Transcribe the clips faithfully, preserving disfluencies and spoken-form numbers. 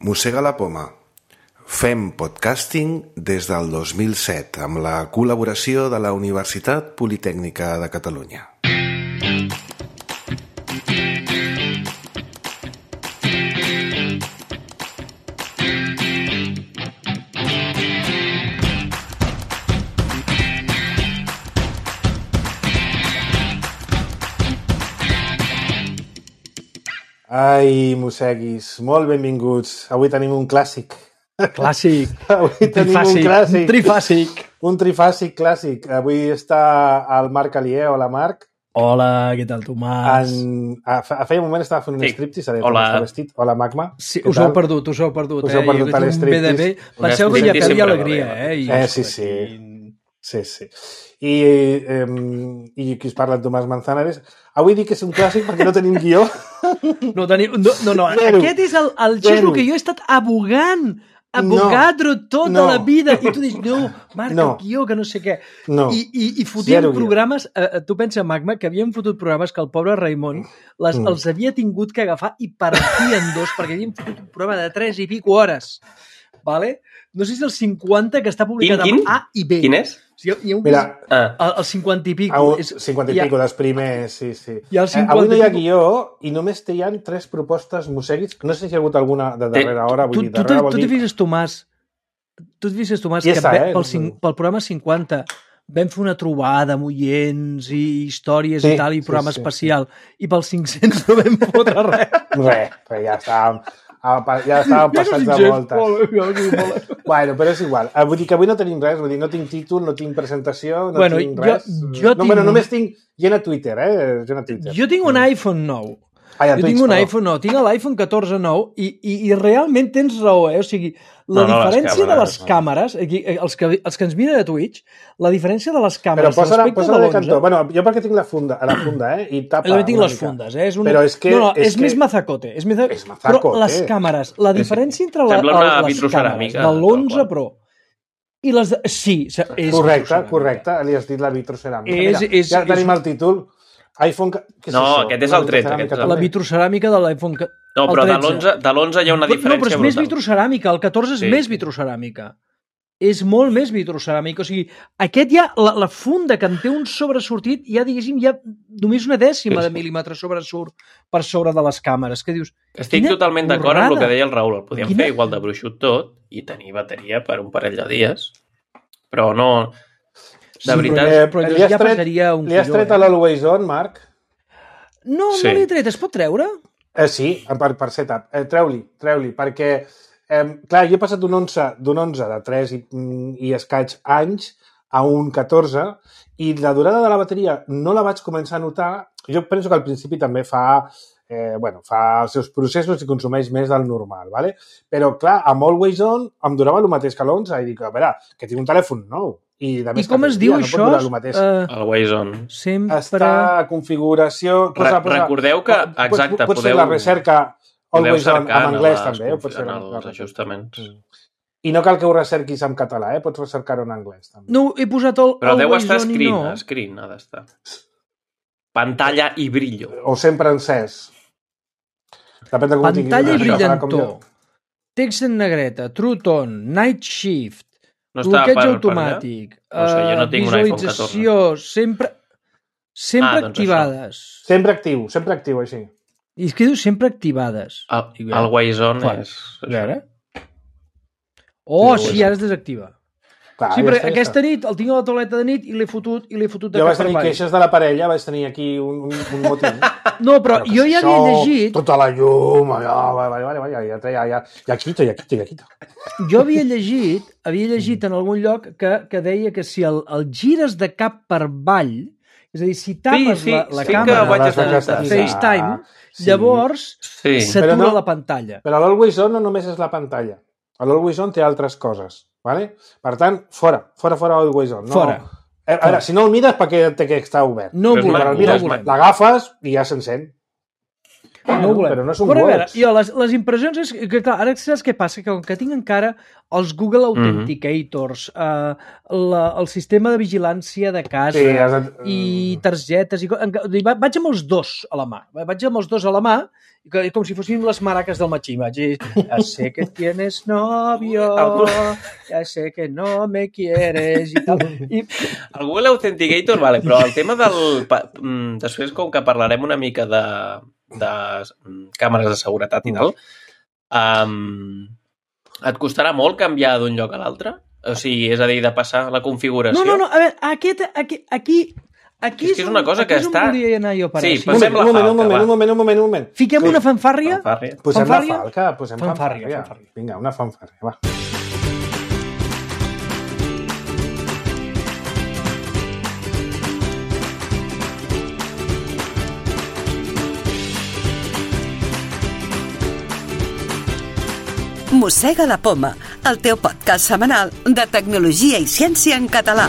Mossega la poma. Fem podcasting des del dos mil set amb la col·laboració de la Universitat Politècnica de Catalunya. Ai, mosseguis, molt benvinguts. Avui tenim un clàssic. Clàssic. Avui un tenim trifàsic. un clàssic. Un trifàsic. Un trifàsic clàssic. Avui està el Marc Alier. Hola, Marc. Hola, què tal, Tomàs? En... A, a feia un moment estava fent un Sí. striptease. Hola. Vestit. Hola, Magma. Sí, Què us tal? heu perdut, us heu perdut. Us heu eh? perdut Jo a tinc un B D B. l'estriptease. Penseu que ja L'estriptease perdia sempre alegria, va bé, eh? I Eh, sí, sí. Sí, sí. I, eh, i qui us parla, en Tomàs Manzanares. Avui dic que és un clàssic perquè no tenim guió. No, teniu... no, no, no. Zero. Aquest és el, el Zero. xisco que jo he estat abogant, abogadro tota No. la vida. I tu dius, no, Marc, No. el guió, que no sé què. No. I, i, i fotíem Zero guió. programes, eh, tu pensa, Magma, que havíem fotut programes que el pobre Raimon les, Mm. els havia tingut que agafar i partir en dos, perquè havíem fotut un programa de tres i pico hores. Vale? No sé si el cinquanta que està publicat Quin, quin? amb A i B. Quin és? O sigui, hi ha un Mira, Ah. el, el cinquanta i pico. a un, és, cinquanta i hi ha- pico dels primers, sí, sí. Hi ha el Eh, cinquanta avui no hi ha i pico. guió i només hi ha tres propostes mosseguis. No sé si hi ha hagut alguna de darrera hora. Vull Tu, dir, tu, darrera tu, vol tu dir... t'hi fixes, Tomàs, tu t'hi fixes, Tomàs, I que esa, ve- eh? pel, cin- pel programa cinquanta vam fer una trobada amb oients i històries Sí, i tal, i sí, programa sí, especial. I pels cinc-cents no vam fotre res. Res, però ja estàvem, ja estàvem passats de voltes. Bueno, però és igual. Eh, Vull dir que avui no tenim res, vull dir, no tinc títol, no tinc presentació, no Bueno, tinc jo- res. jo no, tinc bueno, un- només tinc gent a Twitter, eh? Gent a Twitter. Jo tinc un iPhone nou. Ah, ja, Jo Twitch, tinc un perdó. iPhone nou, tinc l'iPhone catorze nou i, i, i realment tens raó, eh? O sigui, la No, no, les diferència de les càmeres, no. càmeres, aquí, eh, els, que, els que ens miren a Twitch, la diferència de les Però càmeres posa-la respecte posa de de l'onze... cantó. Bueno, jo perquè tinc la funda, a la funda, eh? I tapa També tinc una les mica. fundes, eh? És una... Però és que... No, no, és, és que... més mazacote. És més... És mazacote. Però les càmeres, la diferència entre la, Sembla una les càmeres vitroceràmica, de l'onze tal qual. Pro i les de... Sí, és Correcte, vitroceràmica. correcte. Li has dit la vitroceràmica. És- Mira, és- ja tenim és- el títol. iPhone... Què és No, això? aquest és Una el tret, vitroceràmica aquest és el- La també? vitroceràmica de l'iPhone... que- No, el però de tretze. l'onze de l'onze hi ha una No, diferència però és més brutal. vitroceràmica. El catorze és Sí, més sí. vitroceràmica. És molt més vitroceràmica. O sigui, aquest ja, la, la funda que en té un sobresortit, ja, diguéssim, ja només una dècima Sí, de sí. mil·límetre sobresurt per sobre de les càmeres. Que dius, Estic quina totalment d'acord amb el borrada. que deia el Raül. El podíem Quina- fer igual de bruixut tot i tenir bateria per un parell de dies. Però no... De Sí, veritat... Eh, però li has ja tret- pesaria un Li has quiló, tret eh? a l'Always On, Marc? No, Sí. no l'he tret. Es pot treure? Eh, sí, per, per setup. Eh, treu-li, treu-li, perquè, eh, clar, jo he passat d'un onze, d'un onze de tres i, i escaig anys a un catorze i la durada de la bateria no la vaig començar a notar. Jo penso que al principi també fa, eh, bueno, fa els seus processos i consumeix més del normal, ¿vale? Però, clar, amb Always On em durava el mateix que l'onze i dic, a veure, que tinc un telèfon nou. I, de I més com que es tot diu dia, això? No pot durar el mateix. Eh, El Waze On. sempre... Està a configuració... Re- recordeu que- exacte, pots, pots podeu- fer la recerca Podeu Always On cercar en anglès, les també. Ho pots fer confi- en en els ajustaments. I no cal que ho recerquis en català, eh? Pots recercar-ho en anglès, també. No, he posat el... Però el deu Waze estar On i screen, no. screen ha d'estar. Pantalla i brillo. O sempre encès. Depèn de com ho tinguis. Pantalla i Una mica, farà com brillantor. Text en negreta, True Tone, Night Shift, No està bloqueig per, automàtic, No sé, jo no eh, tinc un iPhone visualització, sempre, sempre Ah, doncs activades. jo. Sempre actiu, sempre actiu, així. I és que diu sempre activades. jo. El, el Waze On Fora. és... A veure. Oh, Sí, sí, ara es desactiva. Clar, Sí, ja però està, ja aquesta està. nit el tinc a la tauleta de nit i l'he fotut i l'he fotut de Jo cap vaig per tenir avall. queixes de la parella, vaig tenir aquí un, un, un motiu. No, però jo ja havia llegit, Tota la llum, allò, vale, vale, vale, ja, ja, ja, ja quito, ja quito, ja quito. jo havia llegit, havia llegit en algun lloc que, que deia que si el, el gires de cap per avall, és a dir, si tapes sí, la, la sí que càmera vaig de estar notant. FaceTime, Sí. llavors Sí. s'atura Però no- la pantalla. Però l'Always On no només és la pantalla. L'Always On té altres coses, ¿vale? Per tant, fora, fora, fora Always On. No, Fora. Eh, a veure, si no el mires, perquè té que estar obert. No Però és volem, maco, no mires, és volem. l'agafes i ja s'encén. No ho volem. Però no són Però a veure, words. jo, les, les impressions és que, clar, ara saps què passa? Que com que tinc encara els Google Authenticators, mm -hmm. uh, la, el sistema de vigilància de casa Sí, has de... i targetes, i, i vaig amb els dos a la mà. Vaig amb els dos a la mà, i com si fossin les maraques del matxí. Vaig dir, ja sé que tienes novio, ja sé que no me quieres, i tal. I... El Google Authenticator, vale, però el tema del... Després, com que parlarem una mica de, de càmeres de seguretat i tal, um, et costarà molt canviar d'un lloc a l'altre? O sigui, és a dir, de passar la configuració? No, no, no, a veure, aquest, aquí... aquí Aquí és que és una cosa que està... Aquí és on volia anar jo a parar. Sí, Sí, passem la un moment, un falca, moment, va. un moment, un moment, un moment. Fiquem una fanfàrria. Fanfàrria. Posem Fanfàrria? la falca, posem Fanfàrria, fanfàrria. fanfàrria. Vinga, una fanfàrria, va. Mossega la Poma, el teu podcast setmanal de tecnologia i ciència en català.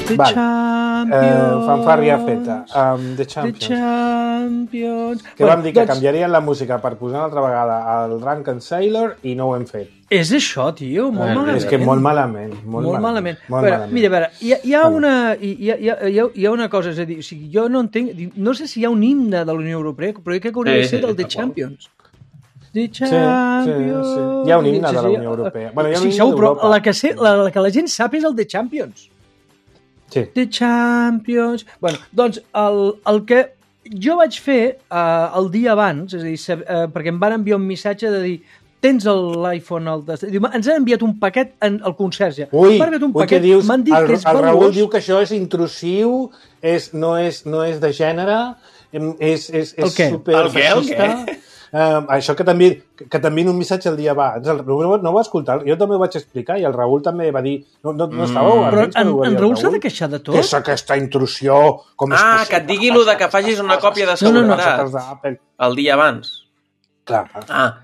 The Vale. Champions. Eh, fanfàrria feta. Um, The The Champions. Champions. Que vam dir que doncs, canviarien la música per posar una altra vegada el Drunken Sailor i no ho hem fet. És això, tio, molt Eh, malament. és que molt malament. Molt, Molt malament. Molt Però, malament. mira, a veure, hi ha, hi, ha Bueno. una, hi, ha, hi, ha, hi ha- hi ha una cosa, és a dir, o sigui, jo no entenc, no sé si hi ha un himne de la Unió Europea, però jo crec que hauria de Sí, ser sí, del The tal qual. Champions. The sí, sí. Champions. Hi ha un himne Sí, de la sí. Unió Europea. Bueno, hi ha un sí, himne segur, però d'Europa. la que, sé, la, la que la gent sap és el The Champions. Sí. The Champions... Bueno, doncs el, el que jo vaig fer uh, el dia abans, és a dir, sab, uh, perquè em van enviar un missatge de dir tens l'iPhone al... Des... Diu, ens han enviat un paquet en el conserge. Ui, M'han enviat un ui, paquet, què dius? m'han dit el, que és el Raül valuós. diu que això és intrusiu, és, no, és, no és de gènere, em, és, és, El és què? super El què, el feixista. Um, això que també, que també en un missatge el dia abans, el, no, no ho va escoltar, jo també ho vaig explicar i el Raül també va dir, no, no, no estàveu Mm. Però atents quan en, ho va en dir el Raül s'ha de queixar de tot? Què és aquesta intrusió? Com és Ah, possible? que et digui lo de que facis una còpia de No, no, no. seguretat Coses d'Apple. el dia abans. Clar, Ah,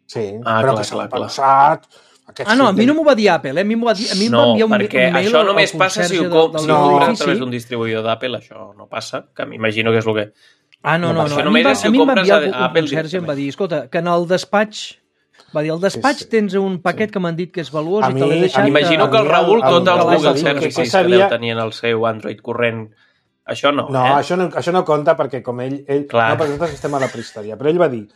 sí, Ah, però clar, que s'ha clar, clar. pensat... Aquests Ah, no, a mi no sistemes- m'ho va dir Apple, eh? A mi m'ho va dir, a mi em va no, enviar un, perquè un mail això al- només al passa si ho, conserge com, del- si del ho no. compres a edifici. través d'un distribuïdor d'Apple, això no passa, que m'imagino que és el que... Ah, no, No no, passa. no. Això A mi, només va, és si a ho mi em va compres enviar a un Apple conserge i em va directament. dir, escolta, que en el despatx, va dir, al despatx Sí, sí. tens un paquet que m'han dit que és valuós A i mi- te l'he a deixat... mi- M'imagino a que el mi Raül, el- tots el- els el- Google el- Services que que sabia- deu tenir en el seu Android corrent, això no, No, eh? això no, això no compta perquè com ell... ell Clar. no, perquè nosaltres estem a la prehistòria. Però ell va dir...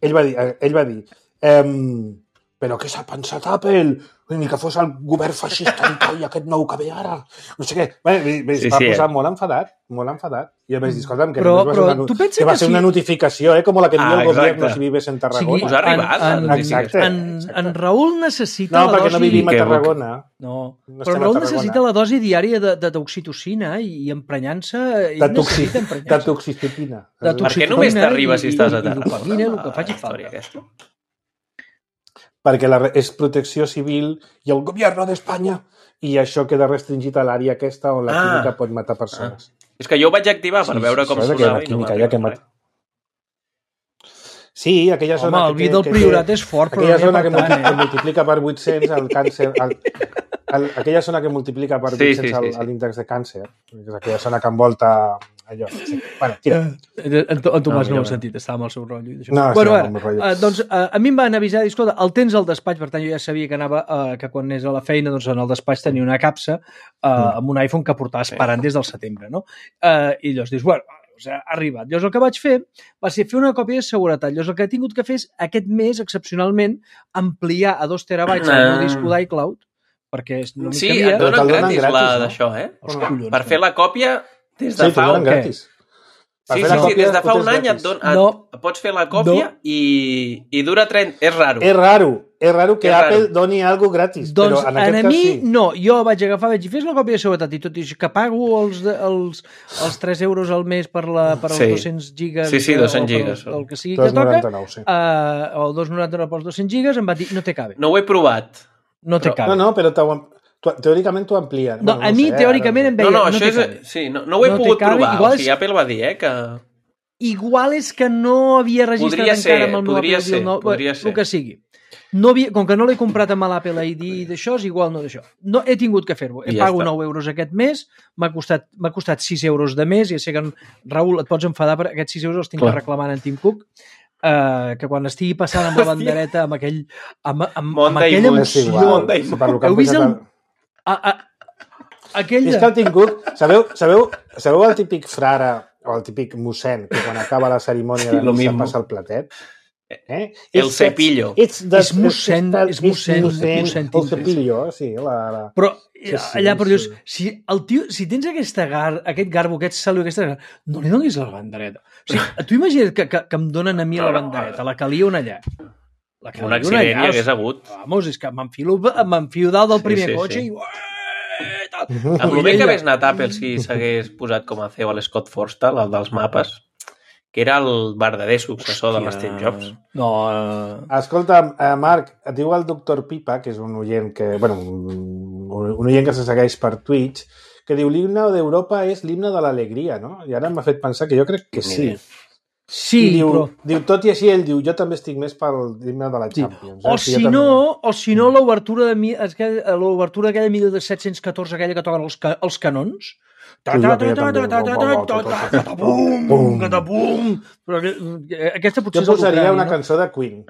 Ell va dir... eh, Ell va dir ehm, però què s'ha pensat Apple? Ni que fos el govern feixista i tal, i aquest nou que ve ara. No sé què. Bé, bé, bé, Sí, es va sí, posar eh? molt enfadat, molt enfadat. I a més, dir, escolta'm, que, Però- només va però ser una, tu penses que va que ser si- una notificació, eh, com la que envia Ah, el exacte. govern si vives en O Tarragona. sigui, Us ha arribat, en, la en, notificació. en, en Raül necessita No, la perquè dosi... no vivim a que- Tarragona. No, No però estem a Raül Tarragona. necessita la dosi diària de, de d'oxitocina i, i emprenyant-se... ell De, toxi, necessita de emprenyar-se. toxicidina. De Per què només toxicodina t'arriba i- si estàs a i- i Tarragona? dopamina, el que la faci història falta. aquesta. Perquè la, re- és protecció civil i el govern d'Espanya i això queda restringit a l'àrea aquesta on la Ah. química pot matar persones. És que jo ho vaig activar per Sí, veure sí, com això és que hi ha sonava una i no química m'ha allà que arribat mata. Sí, aquella Home, zona el que, vi del que, Priorat és fort, però aquella no n'hi ha zona que, per tant, multi, que eh? multiplica per vuit-cents el càncer, el, el, aquella zona que multiplica per Sí, vuit-cents sí, sí, sí. l'índex de càncer, és aquella zona que envolta allò. Sí. Bueno, tira. Eh, En, To- en Tomàs No, no, ho millor ha sentit, estava amb el seu rotllo. i d'això. No, bueno, estava ara, amb el rotllo. eh, doncs, eh, a mi em van avisar, dir, escolta, el tens al despatx, per tant jo ja sabia que anava, eh, que quan anés a la feina, doncs en el despatx tenia una capsa eh, amb un iPhone que portava esperant des del setembre, no? Eh, I llavors dius, bueno, o sigui, ha arribat. Llavors el que vaig fer va ser fer una còpia de seguretat. Llavors el que he tingut que fer és aquest mes, excepcionalment, ampliar a dos terabytes el meu Ah. disc d'iCloud, perquè no m'hi Sí, cabia. et Però donen te'l donen gratis, gratis, la no? d'això, eh? Els collons, Per fer la còpia des de Sí, fa t'ho donen un... què? gratis. Per Sí, fer sí, la sí, còpia des de fa ho un tens any et, gratis. don, et, No. et pots fer la còpia No. i, i dura trenta... És raro. És raro, és raro que És Apple raro. doni alguna gratis, Doncs però en a aquest cas mi sí. no, jo vaig agafar, vaig dir, fes la còpia de seguretat i tot i així que pago els, de- els, els tres euros al mes per, la, per els Sí. dos-cents gigas Sí, sí, de- dos-cents o per gigas. el, el que sigui que dos toca, noranta-nou, sí. uh, o dos noranta-nou pels dos-cents gigas, em va dir, no te cabe, No ho he provat. no te Però- cabe. No, no, però t'ho- t'ho- teòricament t'ho amplien. No, a mi, teòricament, em No, veia, no, no això te és... cabe. Sí, no, no ho he No te pogut cabe, provar. igual O sigui, és- Apple va dir, eh, que... Igual és que no havia registrat Podria ser, encara amb el meu podria Apple ser, nou, podria el ser. que sigui. no havia, com que no l'he comprat amb l'Apple I D d'això, és igual no d'això. No, he tingut que fer-ho. He I ja pago està. nou euros aquest mes, m'ha costat, m'ha costat sis euros de mes, i ja sé que, Raül, et pots enfadar, però aquests sis euros els tinc Clar. que reclamar en Tim Cook, uh, que quan estigui passant amb la bandereta, amb aquell, amb, amb, amb Monday aquella Moon. És emoció... igual. Monday Si per lo que han Heu vist posat el... el- A, a, aquell... És que el Tim Cook, sabeu, sabeu, sabeu el típic frare o el típic mossèn que quan acaba la cerimònia Sí, de lo missa mismo. passa el platet? Eh? El It's- cepillo. it's the- És mossèn, it's- és mossèn, it's mossèn, mossèn el Tim. cepillo, sí. La, la... Però Sí, sí, allà, per sí. Dios, si, el tio, si tens aquesta gar, aquest garbo, aquest saliu, aquesta gar, no li donis la bandereta. O sigui, tu imagina't que, que, que em donen a mi la bandereta, la calia una allà. La calia Un accident hi hagués hagut. Vamos, és que m'enfilo, m'enfilo dalt del Sí, primer sí, cotxe sí. i... Ué, tal. Amb el bé que hagués anat Apple si s'hagués posat com a C E O a l'Scott Forstall, el dels mapes, que era el verdader successor de l'Steve Jobs. No, eh, Escolta, eh, Marc, et diu el doctor Pipa, que és un oient que, bueno, un, un oient que se segueix per Twitch, que diu l'himne d'Europa és l'himne de l'alegria, no? I ara m'ha fet pensar que jo crec que Ni sí. idea. sí, I diu, però... diu, tot i així, ell diu, jo també estic més pel l'himne de la Sí. Champions. eh? O Sí, jo si també. no, o si no l'obertura de mi- aquella- l'obertura aquella mil set-cents catorze, aquella que toquen els, ca, els canons. Ta Sí, ta aquella ta ta també. ta ta ta ta ta ta ta pum, Pum. ta pum. Però que- aquesta potser Jo és el posaria contrari, una no? cançó de Queen.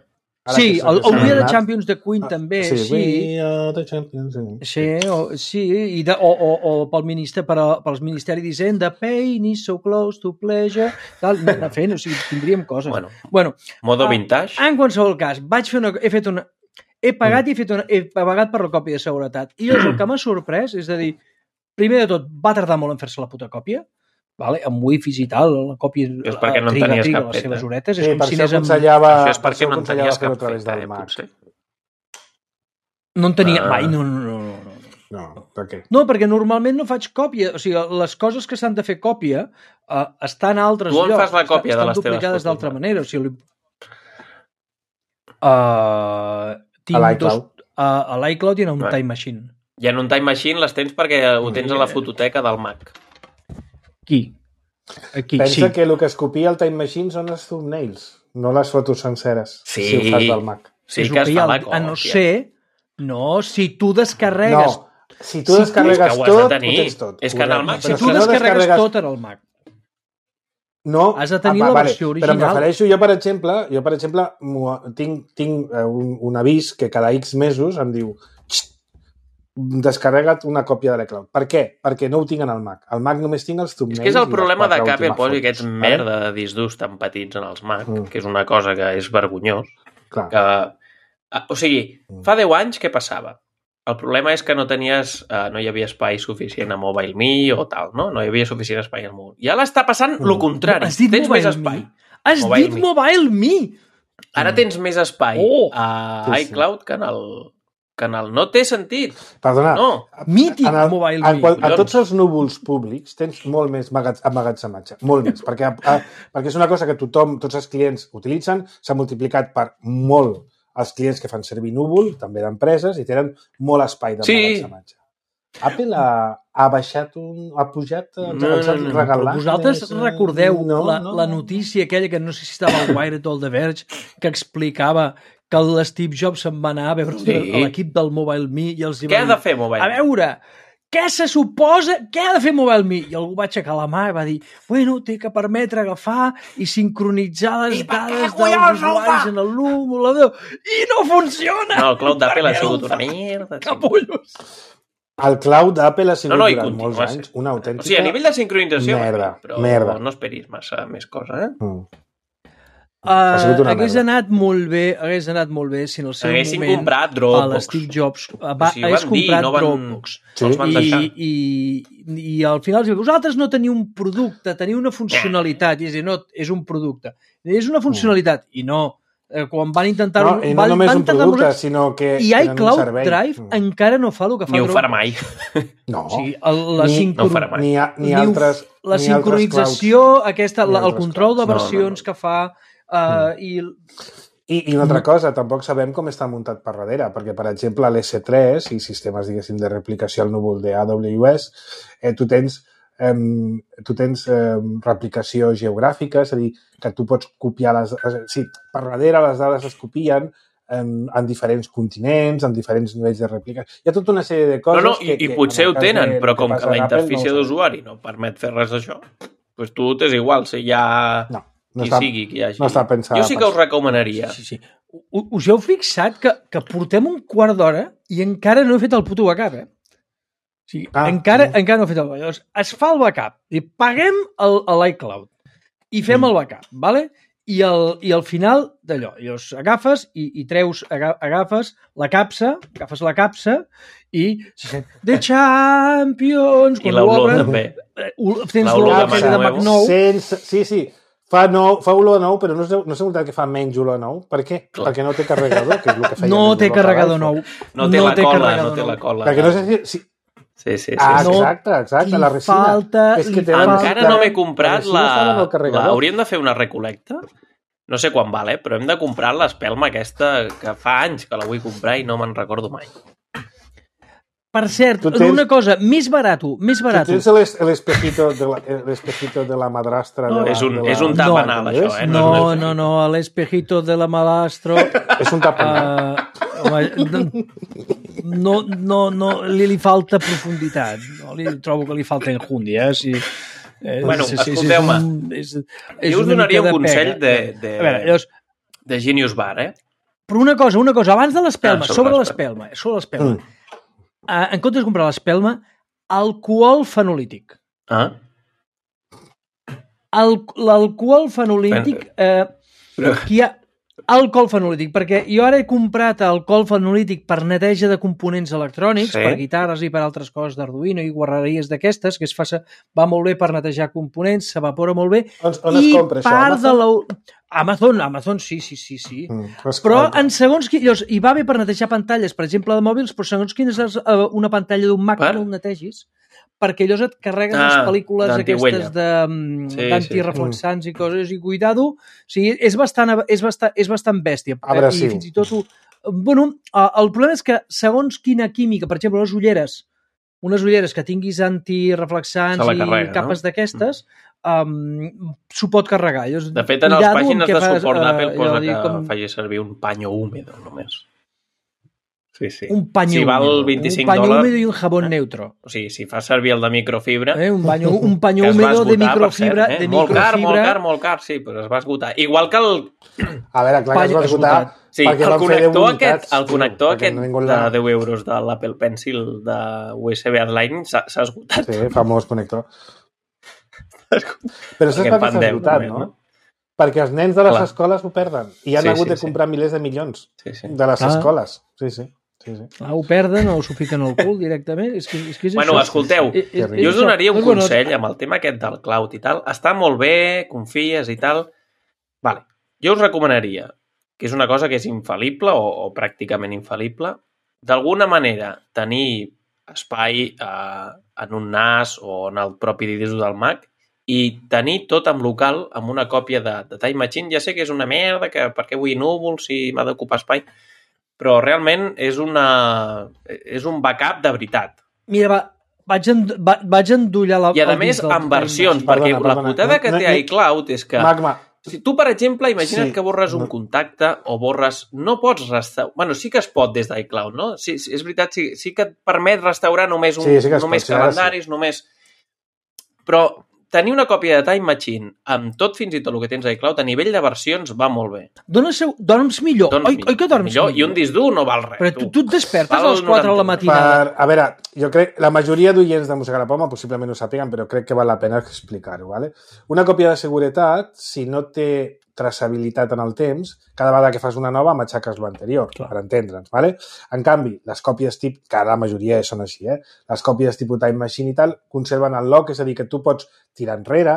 Ara Sí, que s'ha- el, que el s'ha We Are the anat. Champions de Queen també, Sí, sí. We Are the Champions. sí. Sí, o, sí i de, o, o, o pel ministre, per a, pels Ministeri d'Hisenda, pain is so close to pleasure, tal, anar fent, o sigui, tindríem coses. Bueno, bueno modo Ah, vintage. en qualsevol cas, vaig fer una, he fet una... He pagat i he, fet una, he pagat per la còpia de seguretat. I llavors el que m'ha sorprès és a dir, primer de tot, va tardar molt en fer-se la puta còpia, vale? Amb wifis i tal, la còpia És perquè no en triga, tenies triga cap les seves peta. horetes, Sí, és com per si això anés amb... aconsellava, Això és per perquè això no en aconsellava tenies fer-ho cap a través feta, del eh, Mac. potser. No en tenia Ah. mai, no, no, no, no. no. No, per què? No, perquè normalment no faig còpia. O sigui, les coses que s'han de fer còpia uh, estan a altres Tu on llocs. fas la còpia estan de les teves duplicades fotos, d'altra Marc? manera. O sigui, uh, tinc A l'iCloud. dos... Uh, a l'iCloud i en un Vale. Time Machine. I en un Time Machine les tens perquè ho tens a la fototeca del Mac. Qui? Aquí, Pensa sí. que el que es copia al Time Machine són els thumbnails, no les fotos senceres, Sí. si ho fas del Mac. Sí És que el es hi fa ha, la a còpia. no ser... No, si tu descarregues... No, si tu Si tu- descarregues És que ho has de tot, ho tenir. tens tot. És que en el correcte. Mac, Si Però tu no descarregues descarregues- tot en el Mac. No, Has de tenir ah, la vale, versió Però em original. refereixo, jo per exemple, jo per exemple m'ho- tinc, tinc eh, un, un avís que cada X mesos em diu "Xt, descarrega't una còpia de l'iCloud". Per què? Perquè no ho tinc en el Mac. Al Mac només tinc els És thumbnails. que és el i les problema de quatre que Apple últimes posi fotos, aquests vale? merda de discs durs tan petits en els Mac, Mm. que és una cosa que és vergonyós. Clar. Que, ah, o sigui, fa deu anys què passava? El problema és que no tenies, eh, no hi havia espai suficient a MobileMe o tal, no? No hi havia suficient espai al mòbil. I ara està passant Mm. el contrari. Has dit Tens més Mobile espai. Me? Has Mobile dit Me. Mobile Me! Ara tens més espai Oh! a Sí, sí. iCloud que en el... Que en el... No té sentit. Perdona, No. Mític en el, Mobile en, Me. qual, a collons. tots els núvols públics tens molt més magat- emmagatzematge, molt més, perquè, a, perquè és una cosa que tothom, tots els clients utilitzen, s'ha multiplicat per molt els clients que fan servir núvol, també d'empreses, i tenen molt espai d'emmagatzematge. Sí. Apple ha, ha baixat un... ha pujat, ens, No, ens ha no, no, regalat... Però vosaltres més, eh, recordeu no, la, no, la no. notícia aquella que no sé si estava al Wired o al The Verge, que explicava que l'Steve Jobs se'n va anar a veure Sí. sí. l'equip del Mobile Me i els hi Què va ha dir, de fer Mobile? a veure, què se suposa, què ha de fer Mobile Me? I algú va aixecar la mà i va dir, bueno, té que permetre agafar i sincronitzar les I per què dades dels collons no ho usuaris fa? en el núvol, i no funciona! No, el cloud d'Apple Per ha què sigut no ho una fa? merda. Capullos! El cloud d'Apple ha sigut No, no, i durant continua molts sent. anys una O autèntica... sigui, a nivell de sincronització, Merda, però merda. no esperis massa més cosa, eh? Mm. Uh, sigut una hagués merda. anat molt bé, hagués anat molt bé si en el seu Haguessin moment comprat a Dropbox. l'Steve Jobs va, O sigui, ho hagués van dir, comprat no van- Dropbox. Sí. Els van deixar. I, i, i al final els diu, vosaltres no teniu un producte, teniu una funcionalitat. I és a dir, no, és un producte. És una funcionalitat. I no, eh, quan van intentar-ho... No, i no van, només van un tardar molts producte, anys. sinó que I tenen un iCloud servei. Drive Mm. encara no fa el que fa Ni ho Dropbox. farà mai. No, O sigui, el, la, Ni- sincro... no ho farà mai. ni, a, ni ni ho- altres... la ni sincronització, altres aquesta, Ni la, el altres control de clouds. No, no, versions no. que fa uh, i I, I una altra cosa, tampoc sabem com està muntat per darrere, perquè, per exemple, l'S tres i sistemes, diguéssim, de replicació al núvol de A W S, eh, tu tens, eh, tu tens eh, replicació geogràfica, és a dir, que tu pots copiar les... Sí, per darrere les dades es copien, en, en diferents continents, en diferents nivells de rèpliques. Hi ha tota una sèrie de coses... No, no, i, que, i potser ho tenen, de, però com que, que la interfície no d'usuari no permet fer res d'això, doncs tu t'és igual, si hi ha no, no qui està, sigui, qui hi hagi. No està pensat. Jo sí que us recomanaria. Sí, sí. Us heu fixat que, que portem un quart d'hora i encara no he fet el puto backup, eh? O sigui, ah, encara, sí. encara no he fet el backup. Llavors, es fa el backup i paguem l'iCloud i fem mm. el backup, vale? I al, i al final d'allò, llavors agafes i, i treus, agafes la capsa, agafes la capsa i The Champions, i l'olor també. Tens l'olor de Mac nou. Sense, sí, sí, fa, nou, fa olor nou, però no és, no és veritat que fa menys olor nou. Per què? Clar. Perquè no té carregador, que és el que feia. No té carregador nou. No té no la té cola, no té la cola. Perquè no sé si... si Sí, sí, sí. Ah, exacte, exacte, la resina. Falta, és que encara falta... no m'he comprat la... la... la... Hauríem de fer una recolecta? No sé quan val, eh? Però hem de comprar l'espelma aquesta que fa anys que la vull comprar i no me'n recordo mai. Per cert, tens... una cosa, més barato, més barato. Tu tens l'espejito de, la, l'espejito de la madrastra? No, de la, és un, de la... és un tapanal, no, això, eh? No, no, no, no, l'espejito de la madrastra... és un tapanal. Uh, home, no, no, no, li, li falta profunditat. No, li trobo que li falta enjundia, eh? Si, eh, bueno, sí, sí, escolteu-me, és, és, és jo us donaria un de consell de, de, veure, llavors, de Genius Bar, eh? Però una cosa, una cosa, abans de l'espelma, ah, sobre l'espelma, sobre l'espelma, mm. uh, en comptes de comprar l'espelma, alcohol fenolític. Ah? L'alcohol fenolític... Eh, Però... Hi ha alcohol fenolític, perquè jo ara he comprat alcohol fenolític per neteja de components electrònics, sí. per guitarres i per altres coses d'Arduino i guarreries d'aquestes, que es fa, va molt bé per netejar components, s'evapora molt bé. On, on es compra això? Part de la... Amazon, Amazon, sí, sí, sí, sí. Mm, però en segons quins... I va bé per netejar pantalles, per exemple, de mòbils, però segons quina és una pantalla d'un Mac, no ho netegis, perquè llavors et carreguen ah, les pel·lícules aquestes d'antireflexants sí, sí. i coses, i cuidado, o sigui, és bastant, és bastant, és bastant bèstia. Abrasiu. I fins i tot... Ho, bueno, el problema és que segons quina química, per exemple, les ulleres, unes ulleres que tinguis antireflexants carrega, i capes no? d'aquestes, um, s'ho pot carregar. Llavors, de fet, en les pàgines de suport d'Apple uh, posa que com... faci servir un paño húmedo, només. Sí, sí. Un paño si val húmedo, vint-i-cinc un paño dòlars, húmedo i un jabón eh? neutro. O sigui, si fa servir el de microfibra... Eh? Un paño, un paño húmedo de microfibra... Cert, eh? de molt microfibra. car, molt car, molt car, sí, però es va esgotar. Igual que el... A veure, clar que es va esgotar... Sí, el connector aquest, el connector sí, aquest de deu euros de l'Apple Pencil de U S B Lightning s'ha esgotat. Sí, famós connector. Però saps per què s'ha esgotat, no? Perquè els nens de les Clar. escoles ho perden i han sí, hagut sí, de comprar sí. milers de milions sí, sí. de les ah. escoles. Sí, sí. Sí, sí. Ah, ho perden o s'ho fiquen al cul directament. És que, és que és bueno, això. escolteu, és, és, jo us donaria un consell amb el tema aquest del cloud i tal. Està molt bé, confies i tal. Vale. Jo us recomanaria, que és una cosa que és infal·lible o, o pràcticament infal·lible, d'alguna manera tenir espai eh, en un N A S o en el propi disc del Mac i tenir tot en local amb una còpia de, de Time Machine. Ja sé que és una merda, que per què vull núvols si m'ha d'ocupar espai, però realment és, una, és un backup de veritat. Mira, va, vaig, end, va, vaig endollar la... I a més, en versions, perquè perdona, la putada que té no, iCloud és que... Magma. Si tu, per exemple, imagina't sí. que borres un contacte o borres... No pots restaurar... Bueno, sí que es pot des d'iCloud, no? Sí, és veritat, sí, sí que et permet restaurar només, un, sí, sí només pot, calendaris, sí. només... Però tenir una còpia de Time Machine amb tot, fins i tot el que tens a iCloud, a nivell de versions, va molt bé. Dones, dorms millor. Dorms oi, oi que dorms millor? millor? I un disc dur no val res. Però tu, tu et despertes a les quatre de la matinada. Per, a veure, jo crec, la majoria d'oients de Música a la Poma possiblement ho sàpiguen, però crec que val la pena explicar-ho. ¿vale? Una còpia de seguretat, si no té traçabilitat en el temps, cada vegada que fas una nova matxaques l'anterior, per entendre'ns. ¿vale? En canvi, les còpies tip, que la majoria són així, eh? les còpies tipus Time Machine i tal, conserven el lock, és a dir, que tu pots tirar enrere...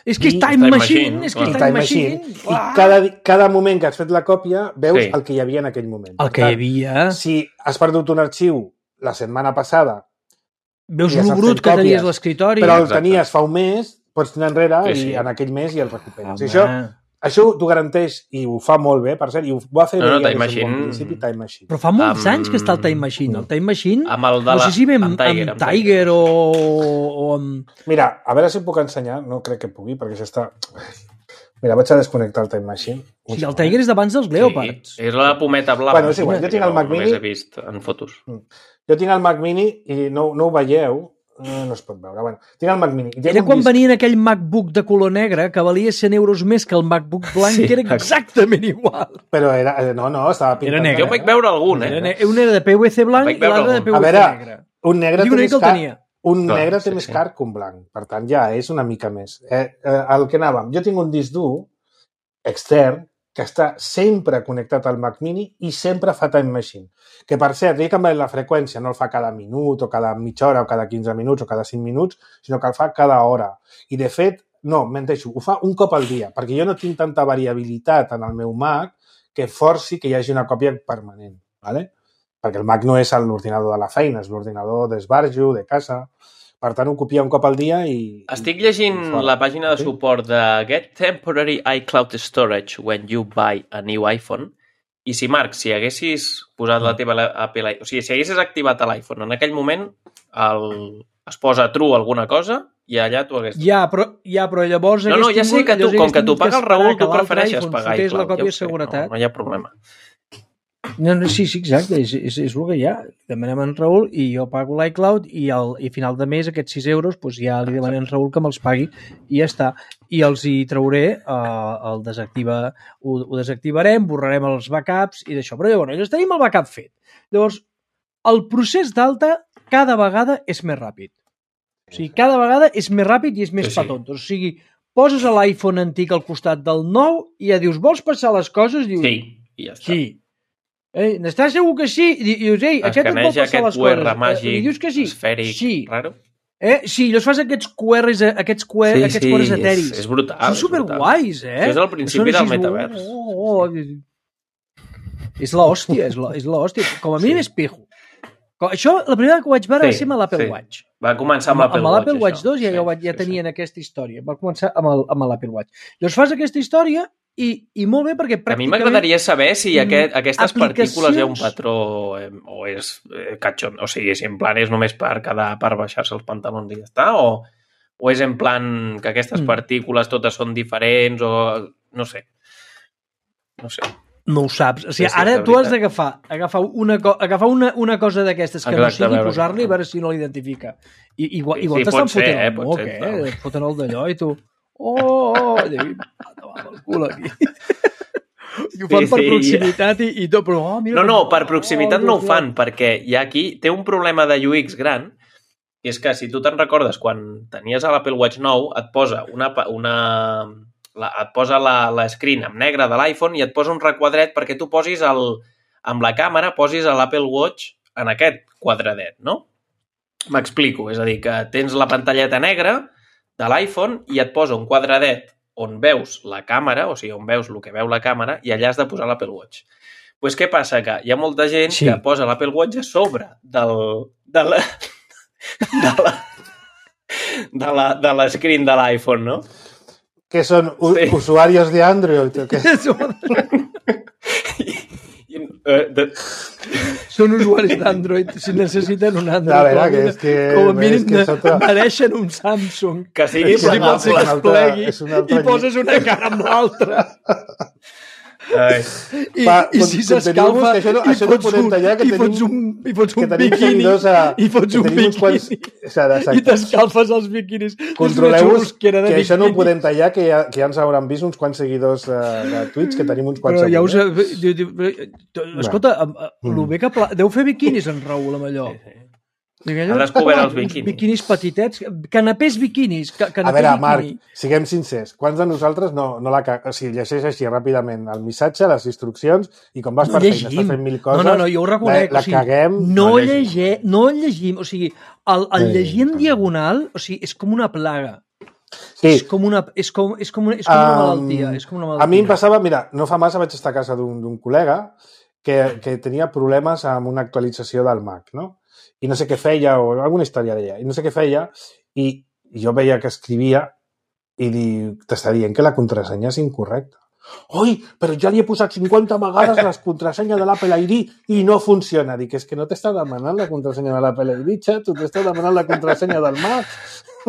És que és Time, time Machine, machine, és que és Time, time Machine. machine. I cada, cada moment que has fet la còpia, veus sí. el que hi havia en aquell moment. El que hi havia... Si has perdut un arxiu la setmana passada... Veus el brut que tenies a l'escriptori... Però el Exacte. tenies fa un mes, pots tirar enrere sí, sí. i en aquell mes i el recuperes. Home. I això... Això t'ho garanteix i ho fa molt bé, per cert, i ho va fer no, no, bé Time Machine... bon principi Time Machine. Però fa molts um... anys que està el Time Machine. El Time Machine, amb el de la... no sé si ve amb, amb Tiger, amb Tiger o, o amb... Mira, a veure si puc ensenyar, no crec que pugui, perquè això està... Mira, vaig a desconnectar el Time Machine. Sí, el Tiger és d'abans dels Leopards. Sí, és la pometa blava. Bueno, és igual, jo tinc el Mac Mini... Només he vist en fotos. Jo tinc el Mac Mini i no, no ho veieu, no es pot veure. Bueno, tinc el Mac Mini. I era quan disc... venia aquell MacBook de color negre que valia cent euros més que el MacBook blanc, sí, que era exactament igual. Però era... No, no, estava pintat. Era negre. Jo vaig veure algun, eh? Era, un era de P V C blanc i l'altre de P V C veure, negre. Un negre té més car, un Clar, negre té sí, més sí. car que un blanc. Per tant, ja és una mica més. Eh, eh, el que anàvem, jo tinc un disc dur extern que està sempre connectat al Mac Mini i sempre fa Time Machine. Que, per cert, he canviat la freqüència, no el fa cada minut o cada mitja hora o cada quinze minuts o cada cinc minuts, sinó que el fa cada hora. I, de fet, no, menteixo, ho fa un cop al dia, perquè jo no tinc tanta variabilitat en el meu Mac que forci que hi hagi una còpia permanent, ¿vale? Perquè el Mac no és l'ordinador de la feina, és l'ordinador d'esbarjo, de casa. Per tant, ho copia un cop al dia i... Estic llegint i la pàgina de sí? suport de Get Temporary iCloud Storage when you buy a new iPhone. I si, Marc, si haguessis posat la teva Apple... O sigui, si haguessis activat l'iPhone en aquell moment, el... es posa true alguna cosa i allà tu hagués... Ja, però, ja, però llavors... No, no, ja sé que tu, com que t'ho paga el Raül, tu prefereixes pagar iCloud. La còpia ja de seguretat. No, no hi ha problema. No, no, sí, sí, exacte, és, és, és el que hi ha. Demanem a en Raül i jo pago l'iCloud i, el, i a final de mes aquests sis euros doncs ja li demanem a en Raül que me'ls pagui i ja està. I els hi trauré, eh, el desactiva, ho, ho desactivarem, borrarem els backups i d'això. Però llavors, llavors tenim el backup fet. Llavors, el procés d'alta cada vegada és més ràpid. O sigui, cada vegada és més ràpid i és més sí, sí. petó. O sigui, poses l'iPhone antic al costat del nou i ja dius, vols passar les coses? Dius, sí, i ja està. Sí. Eh, n'estàs segur que sí? I dius, ei, aquest et vol passar les coses. Escaneja aquest U R màgic, I dius que sí. esfèric, sí. raro. Eh? Sí, llavors fas aquests Q Rs, aquests Q R, sí, aquests sí, Q Rs etèrics. És, és brutal. Són superguais, eh? Això és el principi del metavers. Oh, oh, oh. És l'hòstia, és l'hòstia. Com a mínim sí. És pijo. Això, la primera que ho vaig veure sí, va ser amb l'Apple sí. Watch. Va començar amb l'Apple Watch. Amb l'Apple Watch dos ja, sí, ja, ja sí, tenien sí. aquesta història. Va començar amb l'Apple Watch. Llavors fas aquesta història i, i molt bé perquè pràcticament... A mi m'agradaria saber si aquest, aquestes aplicacions... partícules hi ha un patró eh, o és eh, catxon, o sigui, si en plan és només per quedar, per baixar-se els pantalons i ja està, o, o és en plan que aquestes mm. partícules totes són diferents o... no sé. No sé. No ho saps. O sigui, sí, sí, ara tu has d'agafar agafar una, co agafar una, una cosa d'aquestes que Exacte, no sigui, posar-li i veure si no l'identifica. I, igual sí, igual sí, t'estan ser, fotent eh, el moc, ser, eh? Et foten el d'allò i tu... Oh, oh, oh! I el cul aquí. I ho fan sí, per sí, proximitat i, i tot, però... Oh, mira, no, no, per oh, proximitat oh, no ho fan, perquè hi ha aquí... Té un problema de U X gran, que és que, si tu te'n recordes, quan tenies a l'Apple Watch nou, et posa una... una la, et posa la, la screen en negre de l'iPhone i et posa un requadret perquè tu posis el... amb la càmera, posis l'Apple Watch en aquest quadradet, no? M'explico, és a dir, que tens la pantalleta negra de l'iPhone i et posa un quadradet on veus la càmera, o sigui, on veus el que veu la càmera, i allà has de posar l'Apple Watch. Doncs pues què passa? Que hi ha molta gent sí. que posa l'Apple Watch a sobre del, de la... de la... de la, de la screen de l'iPhone, no? Que són sí. usuarios de Android, o què? Uh, de... Són usuaris d'Android, si necessiten un Android. A veure, que és que... Com a mínim que sota... mereixen un Samsung. Que sigui que si pot ser que es plegui i poses una cara amb l'altra. I, Pa, i si s'escalfa això no, això no podem tallar, que i tenim, fots un, i fots un que tenim biquini a, i fots un biquini quants, i t'escalfes els biquinis. Controleu-vos que, que això no ho podem tallar, que ja, que ja ens hauran vist uns quants seguidors uh, de Twitch, que tenim uns quants però ja us, seguidors. Escolta, el bé que pla... deu fer biquinis en Raül amb allò. Ha descobert els biquinis. Biquinis petitets, canapés biquinis. Canapé a veure, biquini. Marc, siguem sincers. Quants de nosaltres no, no la... O sigui, llegeix així ràpidament el missatge, les instruccions, i com vas per feina, estàs fent mil coses, no, no, no, jo ho reconec, la, la o sigui, caguem... No, no, llegir, no llegim, o sigui, el, el llegir en diagonal, o sigui, és com una plaga. Sí. És com una, és com, és com, és com una malaltia. És com una malaltia. A mi em passava, mira, no fa massa vaig estar a casa d'un col·lega que, que tenia problemes amb una actualització del Mac, no? I no sé què feia, o alguna història d'ella, i no sé què feia, i jo veia que escrivia i t'està dient que la contrasenya és incorrecta. Oi, però ja li he posat cinquanta vegades la contrasenya de l'Apple I D i no funciona. Dic, és que no t'està demanant la contrasenya de l'Apple I D, xat, tu t'està demanant la contrasenya del Mac.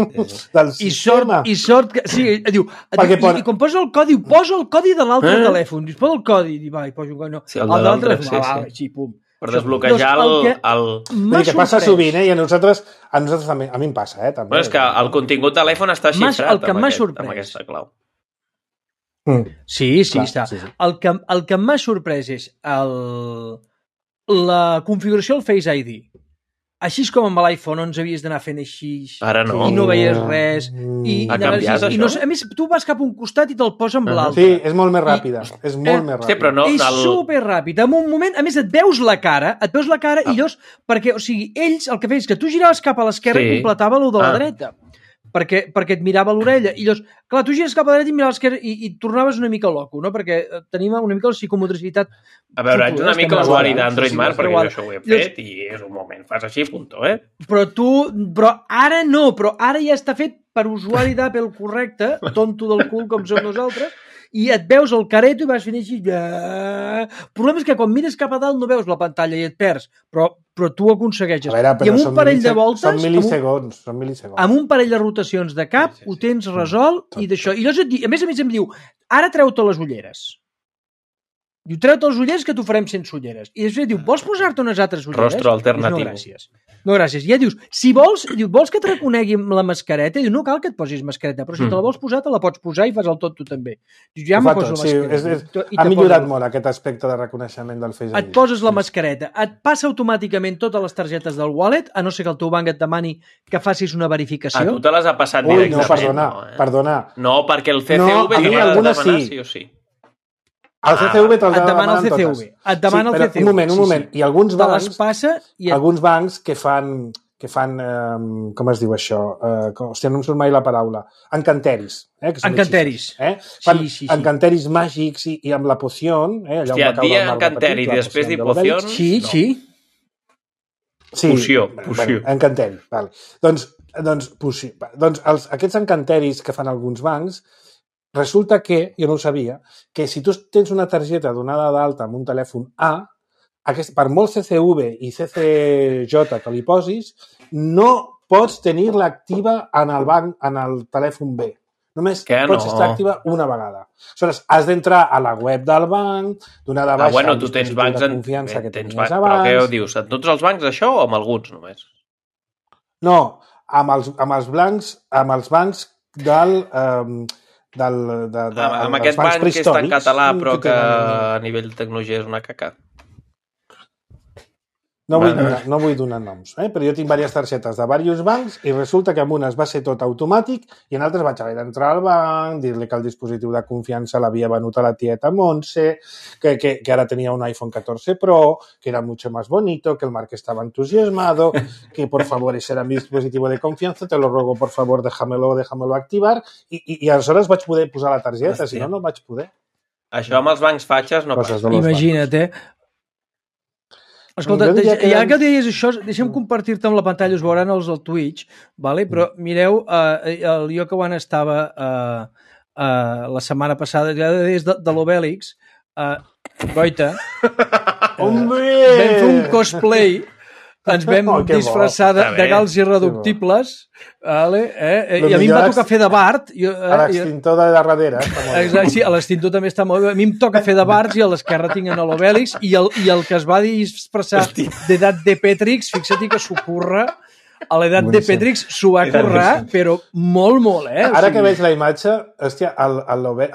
del I sort, sistema. i sort que... Sí, diu, diu pon... i, i quan posa el codi, posa el codi de l'altre eh? telèfon. Dius, posa el codi. Diu, va, i poso un codi. No. Sí, el, el de l'altre, sí, va, sí. Va, sí, pum. Per desbloquejar el... el, el... el... que passa sovint, eh? I a nosaltres, a nosaltres també, a mi em passa, eh? També. Bueno, és que el contingut de l'iPhone està xifrat el que amb, m'ha aquest, sorprès. amb aquesta clau. Mm. Sí, sí, clar, està. Sí, sí. El que, el que m'ha sorprès és el, la configuració del Face I D. Així com amb l'iPhone onze havies d'anar fent així Ara no. I no veies res. I, ha i canviat, i no, a més, tu vas cap a un costat i te'l posa amb uh -huh. l'altre. Sí, és molt més ràpida. I, és molt eh, més ràpida. Sí, però no, és el... superràpid. En un moment, a més, et veus la cara, et veus la cara ah. i llavors, perquè, o sigui, ells el que feien és que tu giraves cap a l'esquerra sí. i completava el de la ah. dreta. Perquè, perquè et mirava l'orella. I llavors, clar, tu gires cap a la dreta i miraves l'esquerra i, i tornaves una mica loco, no? Perquè tenim una mica la psicomotricitat. A veure, ets una mica usuari d'Android Mark, perquè jo això ho he fet i és un moment, fas així, punto, eh? Però tu, però ara no, però ara ja està fet per usuari d'Apple correcte, tonto del cul com som nosaltres, i et veus el careto i vas fent així. El problema és que quan mires cap a dalt no veus la pantalla i et perds, però, però tu ho aconsegueixes. Veure, I amb un parell de voltes... Són mil·lisegons, són mil·lisegons. Amb un parell de rotacions de cap sí, sí, sí. ho tens resolt mm. i d'això. I llavors, et di, a més a més em diu, ara treu-te les ulleres. Diu, treu-te les ulleres que t'ho farem sense ulleres. I després diu, vols posar-te unes altres ulleres? Rostro alternatiu. Dius, no, gràcies. No, gràcies. I ja dius, si vols, diu, vols que et reconegui amb la mascareta? Diu, no cal que et posis mascareta, però si mm. te la vols posar, te la pots posar i fas el tot tu també. Diu, ja m'ho poso la mascareta. Sí, és, és, ha millorat molt aquest aspecte de reconeixement del Face I D. Et poses la mascareta, et passa automàticament totes les targetes del wallet, a no ser que el teu banc et demani que facis una verificació. A tu te les ha passat Ui, directament. no, perdona, no, eh? perdona. No, perquè el C C V no, te l'ha de demanar sí. sí o sí. El C C V te'l et demana el C C V. Et demana sí, el C C V. Un moment, un moment. I alguns bancs, passa i et... alguns bancs que fan, que fan eh, com es diu això? Eh, com, hòstia, no em surt mai la paraula. Encanteris. Eh, que encanteris. Eh? Fan sí, sí, sí. encanteris màgics i, i amb la poció. Eh, Hòstia, et dia encanteri i després dir poció. Sí, no. sí. Sí, poció, poció. Bueno, encanteri, vale. Doncs, doncs, poció. doncs els, aquests encanteris que fan alguns bancs, resulta que, jo no ho sabia, que si tu tens una targeta donada d'alta amb un telèfon A, aquest, per molt C C V i C C J que li posis, no pots tenir-la activa en el banc, en el telèfon B. Només que pots no? estar activa una vegada. Aleshores, has d'entrar a la web del banc, donar de baixa ah, bueno, tu tens bancs de en... confiança Bé, que tens tenies bancs, abans. Però què ho dius? En tots els bancs això o amb alguns només? No, amb els, amb els blancs, amb els bancs del... Um, del, de, de, amb aquest banc que està en català però que, que a nivell de tecnologia és una caca. No vull, donar, no vull donar noms, eh? Però jo tinc diverses targetes de diversos bancs i resulta que en unes va ser tot automàtic i en altres vaig haver d'entrar al banc, dir-li que el dispositiu de confiança l'havia venut a la tieta Montse, que, que, que ara tenia un iPhone catorze Pro, que era mucho más bonito, que el Marc estaba entusiasmado, que por favor ese era mi dispositivo de confianza, te lo ruego por favor déjamelo, déjamelo activar i, i, i aleshores vaig poder posar la targeta, si no, no vaig poder. Això amb els bancs fatxes no passa. Imagina't, eh? Escolta, que... ja que deies això, deixa'm compartir-te amb la pantalla, us veuran els al Twitch, vale? Però mireu, eh, el jo que quan estava eh, eh, la setmana passada, ja des de, de l'Obèlix, eh, Goita, eh, vam fer un cosplay, ens vam oh, disfressar de, de gals irreductibles, vale? eh? i a mi em va tocar fer de Bart. Jo, eh, a l'extintor de darrere. Exacte, sí, a l'extintor també està molt bé. A mi em toca fer de Bart i a l'esquerra tinc en l'Obèlix i, el, i el que es va disfressar d'edat de Petrix, fixa't que s'ho curra, a l'edat de Petrix s'ho va currar, però molt, molt, eh? Ara o sigui... que veig la imatge, hòstia,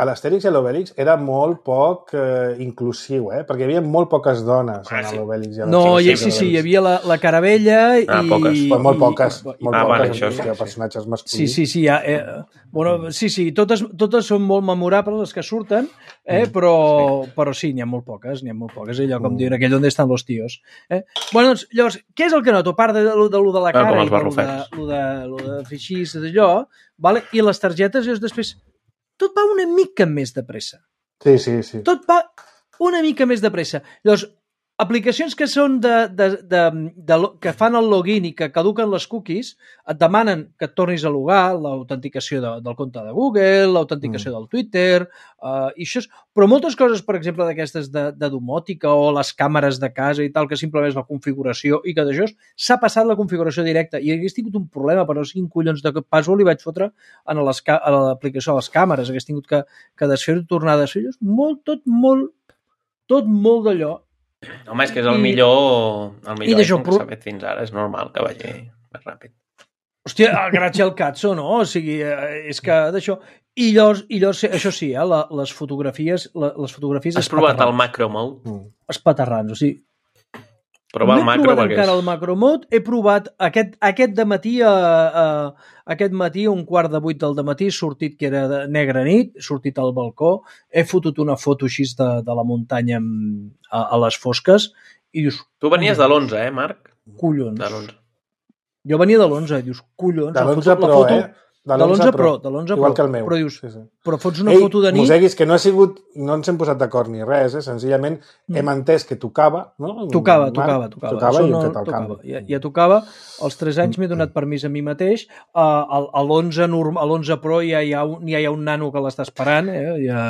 l'Astèrix i l'Obèlix era molt poc eh, inclusiu, eh? Perquè hi havia molt poques dones ah, en l'Obèlix. Sí. No, i sí, sí, hi havia la, la Caravella i... Ah, poques. Però molt poques. I, molt ah, poques, vale, això sí. Personatges masculins. Sí, sí, sí. Ja, eh, bueno, sí, sí, totes, totes són molt memorables les que surten, eh? Mm, però, sí. però sí, n'hi ha molt poques, n'hi ha molt poques. Allò com mm. diuen aquell on estan los tíos. Eh? Bueno, doncs, llavors, què és el que noto? A part de, de, de, de la cara... Ah, els barrufets. Lo de, lo de feixís, d'allò, vale? I les targetes, llavors després, tot va una mica més de pressa. Sí, sí, sí. Tot va una mica més de pressa. Llavors, aplicacions que són de, de, de, de, que fan el login i que caduquen les cookies, et demanen que et tornis a logar, l'autenticació de, del compte de Google, l'autenticació mm. del Twitter, uh, i això és... Però moltes coses, per exemple, d'aquestes de, de domòtica o les càmeres de casa i tal, que simplement és la configuració i que d'això s'ha passat la configuració directa i hagués tingut un problema, però quin collons de password li vaig fotre a l'aplicació de les càmeres, hagués tingut que, que desfer-ho, tornar a desfer-ho, molt, tot molt, tot molt d'allò. Home, és que és el millor, el millor iPhone que pro... s'ha fet fins ara. És normal que vagi més ràpid. Hòstia, el Gratge al Cazzo, no? O sigui, és que d'això... I llavors, i llavors això sí, eh? La, les fotografies... La, les fotografies Has provat el macro mode? Mm. Espaterrans, o sigui... Prova el no he macro provat perquè encara és... el macro mode, he provat aquest, aquest dematí, a, a, aquest matí, un quart de vuit del dematí, sortit que era de negra nit, sortit al balcó, he fotut una foto així de, de la muntanya a, a les fosques i dius... Tu venies de l'onze, eh, Marc? Collons. De l'onze. Jo venia de l'onze i dius, collons. De l'onze Pro, foto, eh? De l'onze Pro, de l'onze Pro. Igual que el meu. Però dius, sí, sí. però fots una Ei, foto de nit... Moseguis, que no ha sigut... No ens hem posat d'acord ni res, eh? Senzillament mm. hem entès que tocava, no? Tocava, Marc, tocava, tocava. Tocava i no, hem fet el tocava. canvi. Ja, ja tocava. Als tres anys m'he donat permís a mi mateix. Uh, a l'onze Pro ja hi, ha un, ja hi ha un nano que l'està esperant. Eh? Ja,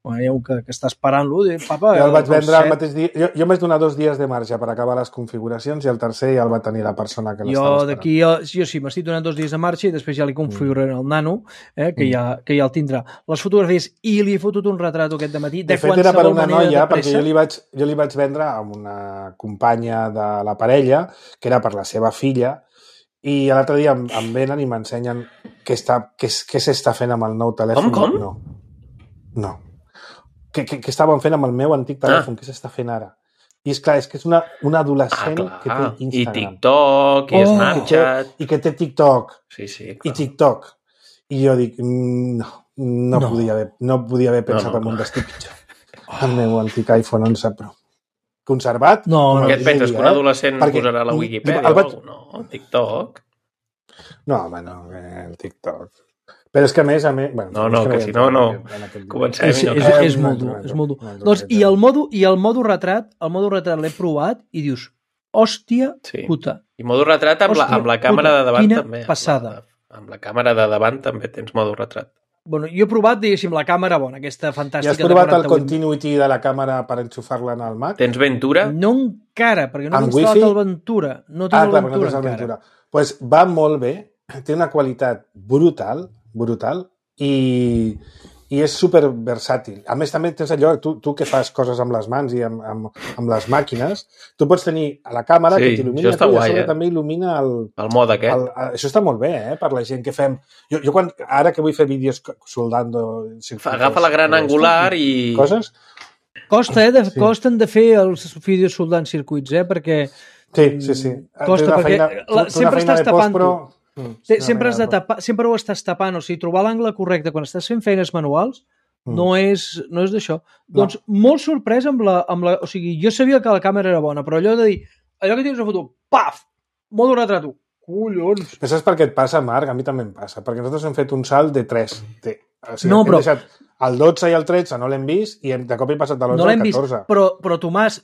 bueno, hi ha un que, que està esperant-lo. Papa, jo el vaig vendre el el mateix dia. Jo, jo m'he donat dos dies de marge per acabar les configuracions i el tercer ja el va tenir la persona que l'estava esperant. D'aquí, jo sí, m'estic donant dos dies de marxa i després ja li configuraré el nano, eh, que, mm. ja, que ja el tindrà. Les fotografies, i li he fotut un retrat aquest dematí de, de fet era per una noia, perquè jo li, vaig, jo li vaig vendre a una companya de la parella, que era per la seva filla, i l'altre dia em, em venen i m'ensenyen què s'està fent amb el nou telèfon. Com, com? No. No. Què, què, què estàvem fent amb el meu antic telèfon? Ah. Què s'està fent ara? I és clar, és que és una, una adolescent ah, que té Instagram. I TikTok, i oh, Snapchat... I que té TikTok. Sí, sí, clar. I TikTok. I jo dic, no, no, no. Podia, haver, no podia haver pensat no, no, en un destí pitjor. Oh. El meu antic iPhone onze Pro. Conservat? No, no. Què et penses, que un adolescent eh? posarà a la Wikipedia el vaig... o no? El TikTok? No, home, no, el TikTok... Però és que a més, a més... Bueno, no, no, que, que si no, no. Comencem. És, és, és molt dur, és molt dur. Doncs, i el modo, i el modo retrat, el modo retrat l'he provat i dius, hòstia sí. puta. I modo retrat amb, hòstia, la, amb la càmera puta. de davant Quina també. passada. Amb la, amb la càmera de davant també tens modo retrat. Bueno, jo he provat, diguéssim, la càmera bona, aquesta fantàstica... I has provat el continuity de la càmera per enxufar-la en el Mac? Tens Ventura? No encara, perquè no he instal·lat el Ventura. No tinc ah, el clar, Ventura no encara. Ventura. Pues va molt bé, té una qualitat brutal, brutal, i, i és super versàtil. A més, també tens allò, tu, tu que fas coses amb les mans i amb, amb, amb les màquines, tu pots tenir a la càmera sí, que t'il·lumina tu i a sobre eh? també il·lumina el... El mode aquest. El, el, això està molt bé, eh, per la gent que fem... Jo, jo quan, ara que vull fer vídeos soldando... Agafa la gran angular i... Coses... Costa, eh? De, sí. Costen de fer els vídeos soldant circuits, eh? Perquè... Sí, sí, sí. Costa, perquè feina, la, sempre estàs tapant però... Mm, sí, sempre, has de tapar, sempre ho estàs tapant, o sigui, trobar l'angle correcte quan estàs fent feines manuals mm. no és, no és d'això. No. Doncs molt sorprès amb la, amb la... O sigui, jo sabia que la càmera era bona, però allò de dir, allò que tens una foto, paf, modo retrato, collons. Però saps per què et passa, Marc? A mi també em passa, perquè nosaltres hem fet un salt de tres. De, o sigui, no, hem però... deixat el dotze i el tretze, no l'hem vist, i hem, de cop hem passat de l'onze no al catorze. Vist, però, però Tomàs,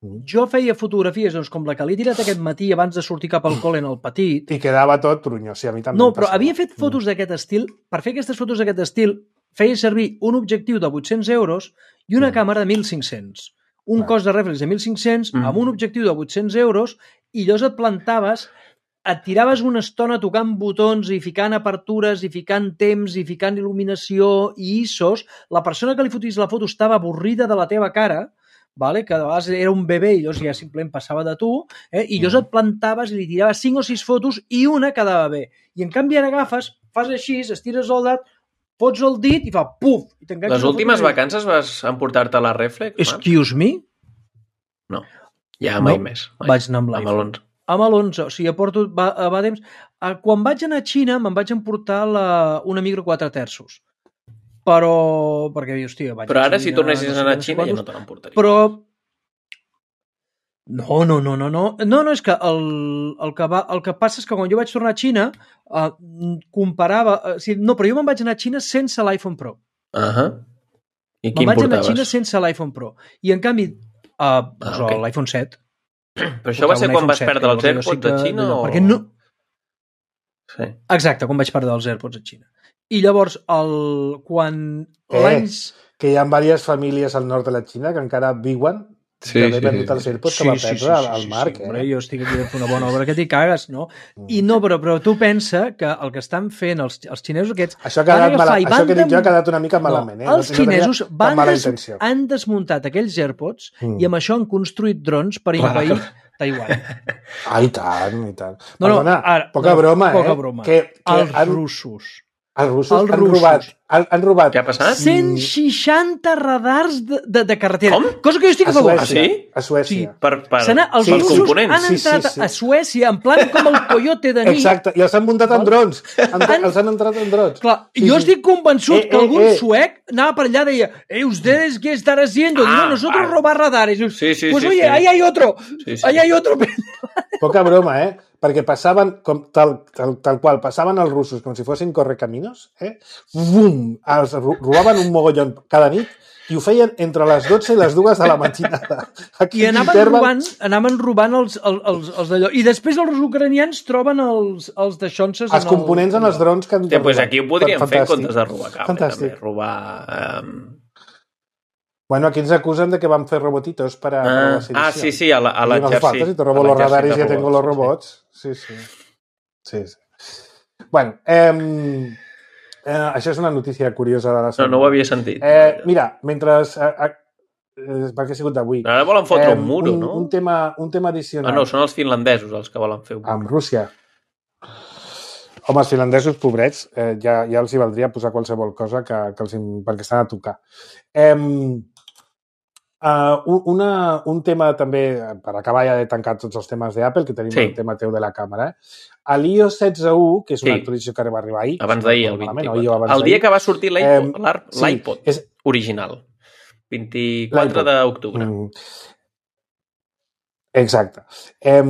jo feia fotografies doncs, com la que l'he tirat aquest matí abans de sortir cap al col·le en el petit. I quedava tot trunyó, sí, a mi també no, però havia fet fotos d'aquest estil. Per fer aquestes fotos d'aquest estil feia servir un objectiu de vuit-cents euros i una mm. càmera de mil cinc-cents. Un ah. cost de reflex de mil cinc-cents mm. amb un objectiu de vuit-cents euros i llavors et plantaves, et tiraves una estona tocant botons i ficant apertures i ficant temps i ficant il·luminació i I S Os. La persona que li fotis la foto estava avorrida de la teva cara, vale? Que de vegades era un bebè i llavors ja simplement passava de tu, eh? I llavors et plantaves i li tiraves cinc o sis fotos i una quedava bé. I en canvi ara agafes, fas així, estires el dat, fots el dit i fa puf! I les últimes vacances vas emportar-te la reflex? Excuse me? No, ja mai no, més. Mai. Vaig anar amb l'iPhone. Amb l'onze, o sigui, porto, va, va temps... Quan vaig anar a Xina me'n vaig emportar la, una micro quatre terços. Però, perquè, hòstia, vaig però ara, a Xina, si tornessis no sé a anar a Xina, ja no te l'emportaria. Però... No, no, no, no, no. No, no, és que el, el, que va, el que passa és que quan jo vaig tornar a Xina, eh, comparava... Eh, sí, no, però jo me'n vaig anar a Xina sense l'iPhone Pro. Uh -huh. I quin me'n vaig portaves? anar a Xina sense l'iPhone Pro. I, en canvi, Uh, doncs Ah, ok. l'iPhone set. Però això va ser un quan iPhone vas set, perdre els que llavors jo AirPods sí que- a Xina o...? Perquè no... Sí. Exacte, quan vaig perdre els AirPods a Xina. I llavors, el... quan Eh. l'any... Que hi ha diverses famílies al nord de la Xina que encara viuen Sí, d'haver sí, perdut sí, els sí. AirPods que va perdre al, al Marc. sí, eh? hombre, jo estic aquí fent una bona obra que t'hi cagues, no? I no, però, però tu pensa que el que estan fent els, els xinesos aquests... Això, ha quedat van agafar mala, i això van que dic jo ha dem- quedat una mica malament. Eh? No, els no, tenia xinesos cap van mala des... intenció. han desmuntat aquells AirPods Mm. i amb això han construït drons per invair Taiwan. Ah, i tant, i tant. No, no, Perdona, ara- poca no, broma, poca eh? broma. Que, que Els han, russos. els russos els han russos. robat... Han, han robat... Què ha passat? cent seixanta radars de, de, de carretera. Com? Cosa que jo estic A a favor. Suècia. Ah, sí? A Suècia. Per, per, Se n'ha- els Sí, pels russos components. han Sí, sí, entrat sí. a Suècia en plan com el coyote de nit. Exacte, i els han muntat en Val? drons. Han, Han- els han entrat en drons. Clar, Sí, jo sí. estic convençut Eh, que eh, algun eh. suec anava per allà i deia eh, ¿ustedes qué están haciendo? Ah, Digo, nosotros vale. robar radares. Dius, Sí, sí, pues sí, oye, sí. ahí hay otro. Sí, sí. Ahí hay otro. Poca broma, eh? Perquè passaven, com, tal, tal, tal qual, passaven els russos com si fossin correcaminos, eh? Bum! Els ro- robaven un mogollon cada nit i ho feien entre les dotze i les dues de la matinada. Aquí I anaven interval- robant, anaven robant els, els, els, els d'allò. I després els ucranians troben els, els daixonses... els components en els drons que han Hòstia, doncs aquí ho podríem fer en Fantàstic. comptes de robar cable, Fantàstic. també. Robar... Um... Bueno, aquí ens acusen de que van fer robotitos para, para Ah, la sedición. ah, sí, sí, a la- a Y no hace l'exèrcit. falta, si te robo A los l'exèrcit radares de ya tengo los robots, robots. Sí, sí. Sí, sí. Bueno, eh, eh, això és una notícia curiosa de la No, setmana. no ho havia sentit. Eh, mira, mentre... Eh, eh, perquè ha sigut d'avui. Ara volen fotre Eh, un muro, un, no? Un tema, un tema Ah, addicional. no, són els finlandesos els que volen fer un muro. Amb Rússia. Home, els finlandesos, pobrets, eh, ja, ja els hi valdria posar qualsevol cosa que, que els, perquè estan a tocar. Eh, uh, una, un tema també, per acabar ja de tancar tots els temes d'Apple, que tenim Sí. el tema teu de la càmera, eh? A l'i o setze u, que és una Sí. actualització que va arribar ahir. Abans si no d'ahir, el recordo malament, vint-i-quatre. o ahir o abans El dia d'ahir. que va sortir l'iPod, Eh, l'ar- sí, l'iPod és- original. vint-i-quatre L'iPod. d'octubre. Mm. Exacte. Eh,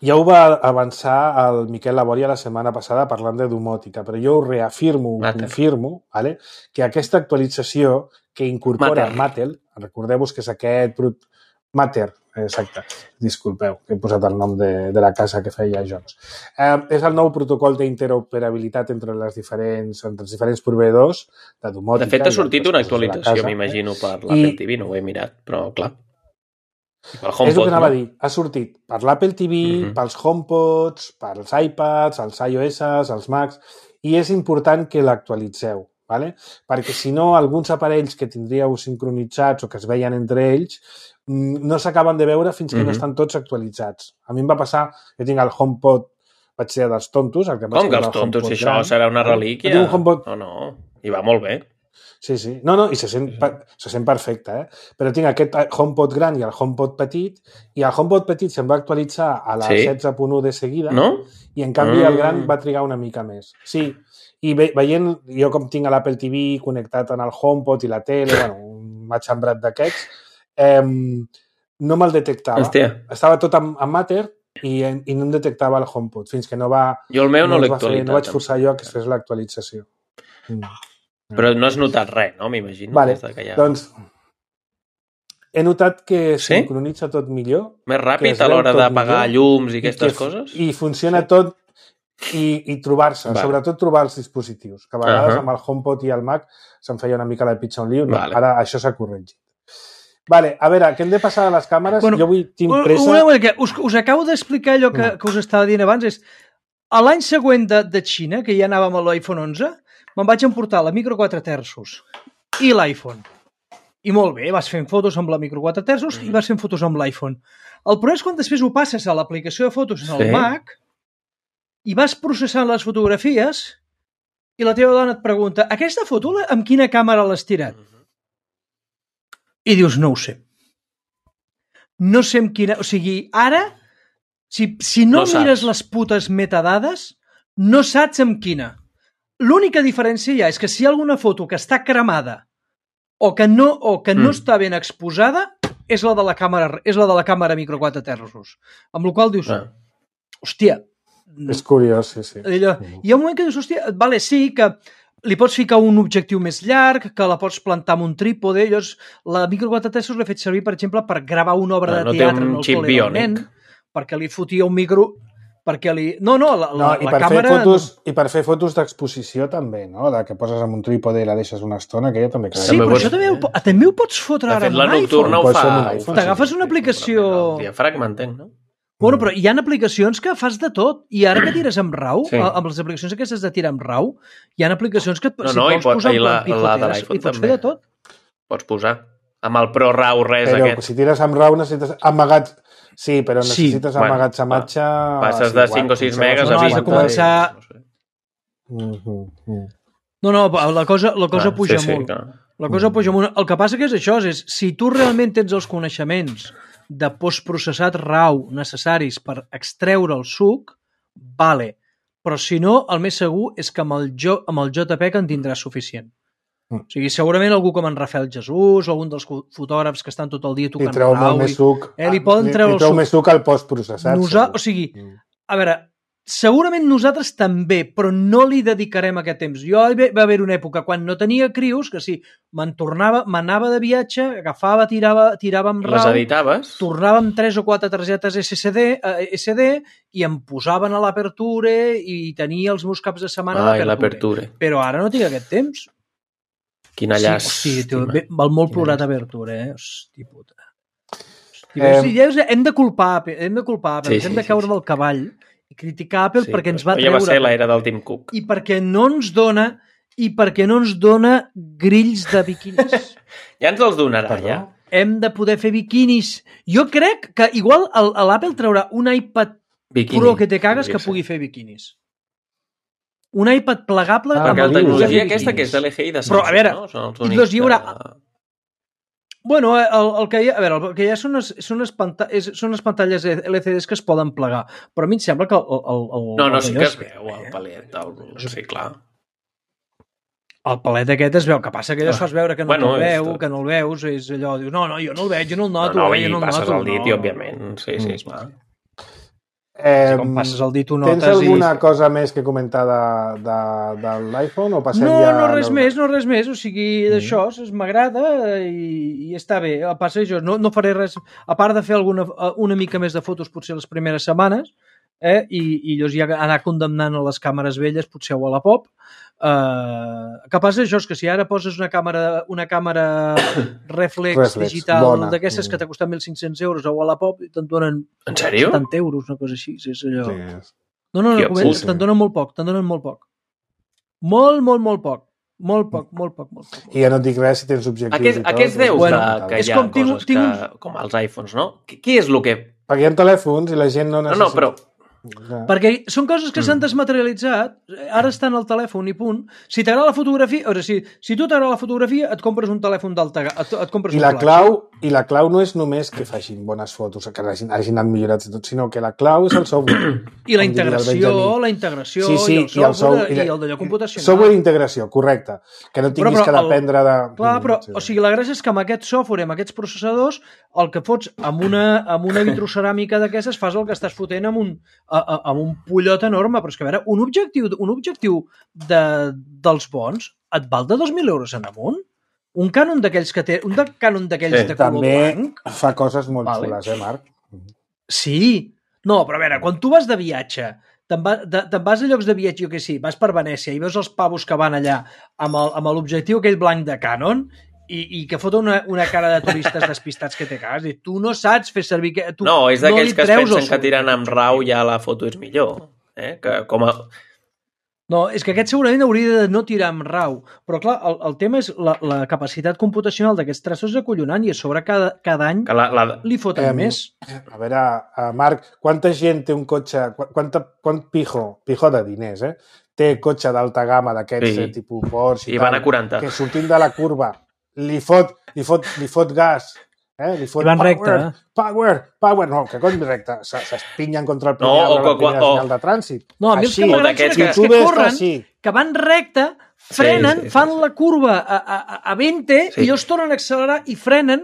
ja ho va avançar el Miquel Laboria la setmana passada parlant de domòtica, però jo ho reafirmo, ho Matter. confirmo, vale? Que aquesta actualització que incorpora Matter. Mattel, recordeu-vos que és aquest... Brut... Matter, exacte. Disculpeu, que he posat el nom de, de la casa que feia Jones. Eh, és el nou protocol d'interoperabilitat entre les diferents, entre els diferents proveïdors de domòtica. De fet, ha i sortit altres una coses de la actualització, casa, eh? m'imagino, per l'Apple I- T V, no ho he mirat, però clar. I pel És el HomePod, que anava a no? dir. Ha sortit per l'Apple T V, Mhm. pels HomePods, pels iPads, els iOS, els Macs, i és important que l'actualitzeu, ¿vale? Perquè si no, alguns aparells que tindríeu sincronitzats o que es veien entre ells mm, no s'acaben de veure fins que Mhm. no estan tots actualitzats. A mi em va passar, jo tinc el HomePod, vaig ser dels tontos, el que em vaig Com que comprar els el tontos? HomePod Si això gran. serà una Jo relíquia. tinc un HomePod No, no, i va molt bé. Sí, sí. No, no, i se sent, per- se sent perfecte, eh? Però tinc aquest HomePod gran i el HomePod petit, i el HomePod petit se'm va actualitzar a la Sí? setze punt u de seguida, No? i en canvi el Mm. gran va trigar una mica més. Sí, i ve, veient, jo com tinc l'Apple T V connectat en el HomePod i la tele, bueno, un matxembrat d'aquests, eh, no me'l detectava. Hòstia, Estava tot en, en Matter i, i no em detectava el HomePod, fins que no va... jo el meu no, no, l'he es va fer, actualitzat. no vaig forçar jo que es fes l'actualització. Mm. Però no has notat res, no? M'imagino. Vale, des de que ja... Doncs he notat que Sí? sincronitza tot millor. Més que ràpid es a veu l'hora tot d'apagar millor llums i i aquestes que, coses? I funciona tot i, i trobar-se, Vale. sobretot trobar els dispositius, que a vegades Ahà. amb el HomePod i el Mac se'm feia una mica la pitxa un lío. No, Vale. ara això s'ha corregit. Vale, a veure, què hem de passar a les càmeres? Bueno, jo avui tinc Un- pressa... Una mica, us, us acabo d'explicar allò que, Mm. que us estava dient abans. És, a l'any següent de, de Xina, que ja anàvem a l'iPhone onze, me'n vaig emportar la micro quatre terços i l'iPhone. I molt bé, vas fent fotos amb la micro quatre terços i vas fent fotos amb l'iPhone. El problema és quan després ho passes a l'aplicació de fotos en el Sí. Mac i vas processant les fotografies i la teva dona et pregunta aquesta foto la- amb quina càmera l'has tirat? I dius, no ho sé. No sé amb quina... O sigui, ara, si, si no, No saps. mires les putes metadades, no saps amb quina. L'única diferència ja és que si hi ha alguna foto que està cremada o que no, o que no Mm. està ben exposada, és la de la càmera, és la de la càmera micro quatre terços. Amb la qual dius, Ah. hòstia, És curiós, sí, sí. allò, hi ha un moment que dius, hòstia, vale, sí, que li pots ficar un objectiu més llarg, que la pots plantar amb un trípode. Llavors, la micro quatre terços l'he fet servir, per exemple, per gravar una obra no de teatre un en el xip col·le del nen, perquè li fotia un micro... perquè li... No, no, la, no la, i la per càmera... Fer fotos, I per fer fotos d'exposició també, no? De que poses amb un trípode i la deixes una estona, que ja també queda. Sí, també però pots... això també ho, també ho pots fotre ara amb la nocturna ho fa. T'agafes una aplicació... El diafragma, entenc, no? Bueno, però hi ha aplicacions que fas de tot. I ara que tires amb RAW, sí. amb les aplicacions aquestes de tirar amb RAW, hi ha aplicacions que no, si no, vols pot, posar la, la de i pots també. fer de tot. Pots posar. Amb el Pro RAW res però, aquest. Però si tires amb RAW necessites amagats... Sí, però necessites sí. emmagatzematge... Bueno, passes de cinc o sis megas no, a vint. No, has de començar... No, sé. mm-hmm. no, no, la cosa, la cosa ah, puja sí, molt. Sí, clar. La cosa puja molt. El que passa que és això, és si tu realment tens els coneixements de postprocessat RAW necessaris per extreure el suc, vale. Però si no, el més segur és que amb el, jo, amb el JPEG en tindràs suficient. Mm. O sigui, segurament algú com en Rafael Jesús o algun dels fotògrafs que estan tot el dia tocant RAW... Li treu molt més suc. Eh, li poden treure li treu més suc al postprocessat. Nosa... O sigui, a veure, segurament nosaltres també, però no li dedicarem aquest temps. Jo va haver una època quan no tenia crios, que sí, me'n tornava, m'anava de viatge, agafava, tirava, tirava amb RAW... Les editaves? Tornava amb tres o quatre targetes S S D, eh, S D i em posaven a l'Aperture i tenia els meus caps de setmana Ai, l'Aperture. Però ara no tinc aquest temps. Quina llaç. Sí, hosti, tio, val molt plorat Aperture, eh? Hosti, puta. Hosti, eh... hosti, hem de culpar, hem de culpar, sí, hem de caure sí, sí. del cavall i criticar Apple sí, perquè ens va treure... Ja va ser l'era del Tim Cook. I perquè no ens dona i perquè no ens dona grills de biquinis. Ja ens els donarà, Perdó? ja. Hem de poder fer biquinis. Jo crec que igual l'Apple traurà un iPad Bikini. Pro que te cagues que pugui fer biquinis. Un iPad plegable... Ah, perquè la tecnologia aquesta que és de l'E G I de Samsung, però, a veure, no? Són els únics doncs hi haurà... de... Bueno, el, el que hi ha, a veure, el que hi ha són unes, són unes, panta... són unes pantalles L C Ds que es poden plegar, però a mi em sembla que el... el, el no, no, el sí que es veu, el palet, el... sí, clar. El palet aquest es veu, que passa que allò es fas veure que no bueno, te'l veu, que no el veus, és allò, dius, no, no, jo no el veig, jo no el noto, no, no, eh, jo no el noto. No, no, i passes el dit, no, i òbviament, sí, sí, esclar. Eh, com passes el dit, ho notes. Tens alguna i... cosa més que comentar de, de, de l'iPhone o passem no, ja... No, no res no... més, no res més, o sigui, mm. d'això m'agrada i, i està bé. El passa jo no, no faré res, a part de fer alguna, una mica més de fotos potser les primeres setmanes, eh, i, i llavors ja anar condemnant a les càmeres velles, potser a Wallapop. Uh, que passa això és que si ara poses una càmera una càmera reflex, reflex digital d'aquestes que t'ha costat mil cinc-cents euros a Wallapop i te'n donen en sèrio? setanta euros, una cosa així, és allò... Sí. no, no, no, no te'n donen molt poc, te'n donen molt poc molt, molt, molt poc molt poc, molt poc, molt poc i ja no et dic res si tens objectius aquest, i tot, aquests deus bueno, que, que hi ha com, coses tinc, tinc... que, com els iPhones, no? Què és el que... perquè hi ha telèfons i la gent no necessita no, no, però ja. Perquè són coses que s'han desmaterialitzat, ara estan al telèfon i punt. Si t'agrada la fotografia, o sigui, si tu t'agrada la fotografia, et compres un telèfon d'alta et, et compres I un la flash. clau I la clau no és només que facin bones fotos, que hagin, hagin anat millorats i tot, sinó que la clau és el software. I la integració, la integració, sí, sí, i el software, i el, software, i el d'allò computacional. Software d'integració, correcte. Que no tinguis però, però, que dependre de... Clar, però, sí, o sigui, la gràcia és que amb aquest software, amb aquests processadors, el que fots amb una, amb una vitroceràmica d'aquestes fas el que estàs fotent amb un, a, a, amb un pollot enorme, però és que a veure, un objectiu, un objectiu de, dels bons et val de dos mil euros en amunt? Un Canon d'aquells que té, un de Canon d'aquells sí, de color blanc... També fa coses molt vale. xules, eh, Marc? Sí. No, però a veure, quan tu vas de viatge, te'n va, te, te vas a llocs de viatge, jo què sé, vas per Venècia i veus els pavos que van allà amb l'objectiu aquell blanc de Canon i, i que fota una, una cara de turistes despistats que té cas. I tu no saps fer servir... Que, tu no, és d'aquells no que es pensen que tirant amb RAW ja la foto és millor. Eh? Que com a... No, és que aquest segurament hauria de no tirar amb RAW, però clar, el, el tema és la, la capacitat computacional d'aquests traços és acollonant i a sobre cada, cada any la, la... li foten eh, més. A veure, uh, Marc, quanta gent té un cotxe, quanta, quant pijo, pijo de diners, eh? Té cotxe d'alta gamma d'aquests sí. eh, tipus Porsche i, I tal, van a quaranta. Que sortint de la curva li fot, li fot, li fot gas, eh? Li fot I van power, recte, eh? power, power, no, que cony recte, s'espinyen contra el primer no, arbre, o, la o, senyal de trànsit. No, a mi els que m'agraden són aquests que corren, sí. que van recte, frenen, sí, sí, fan sí, sí. la curva a, a, a vint sí. i ells tornen a accelerar i frenen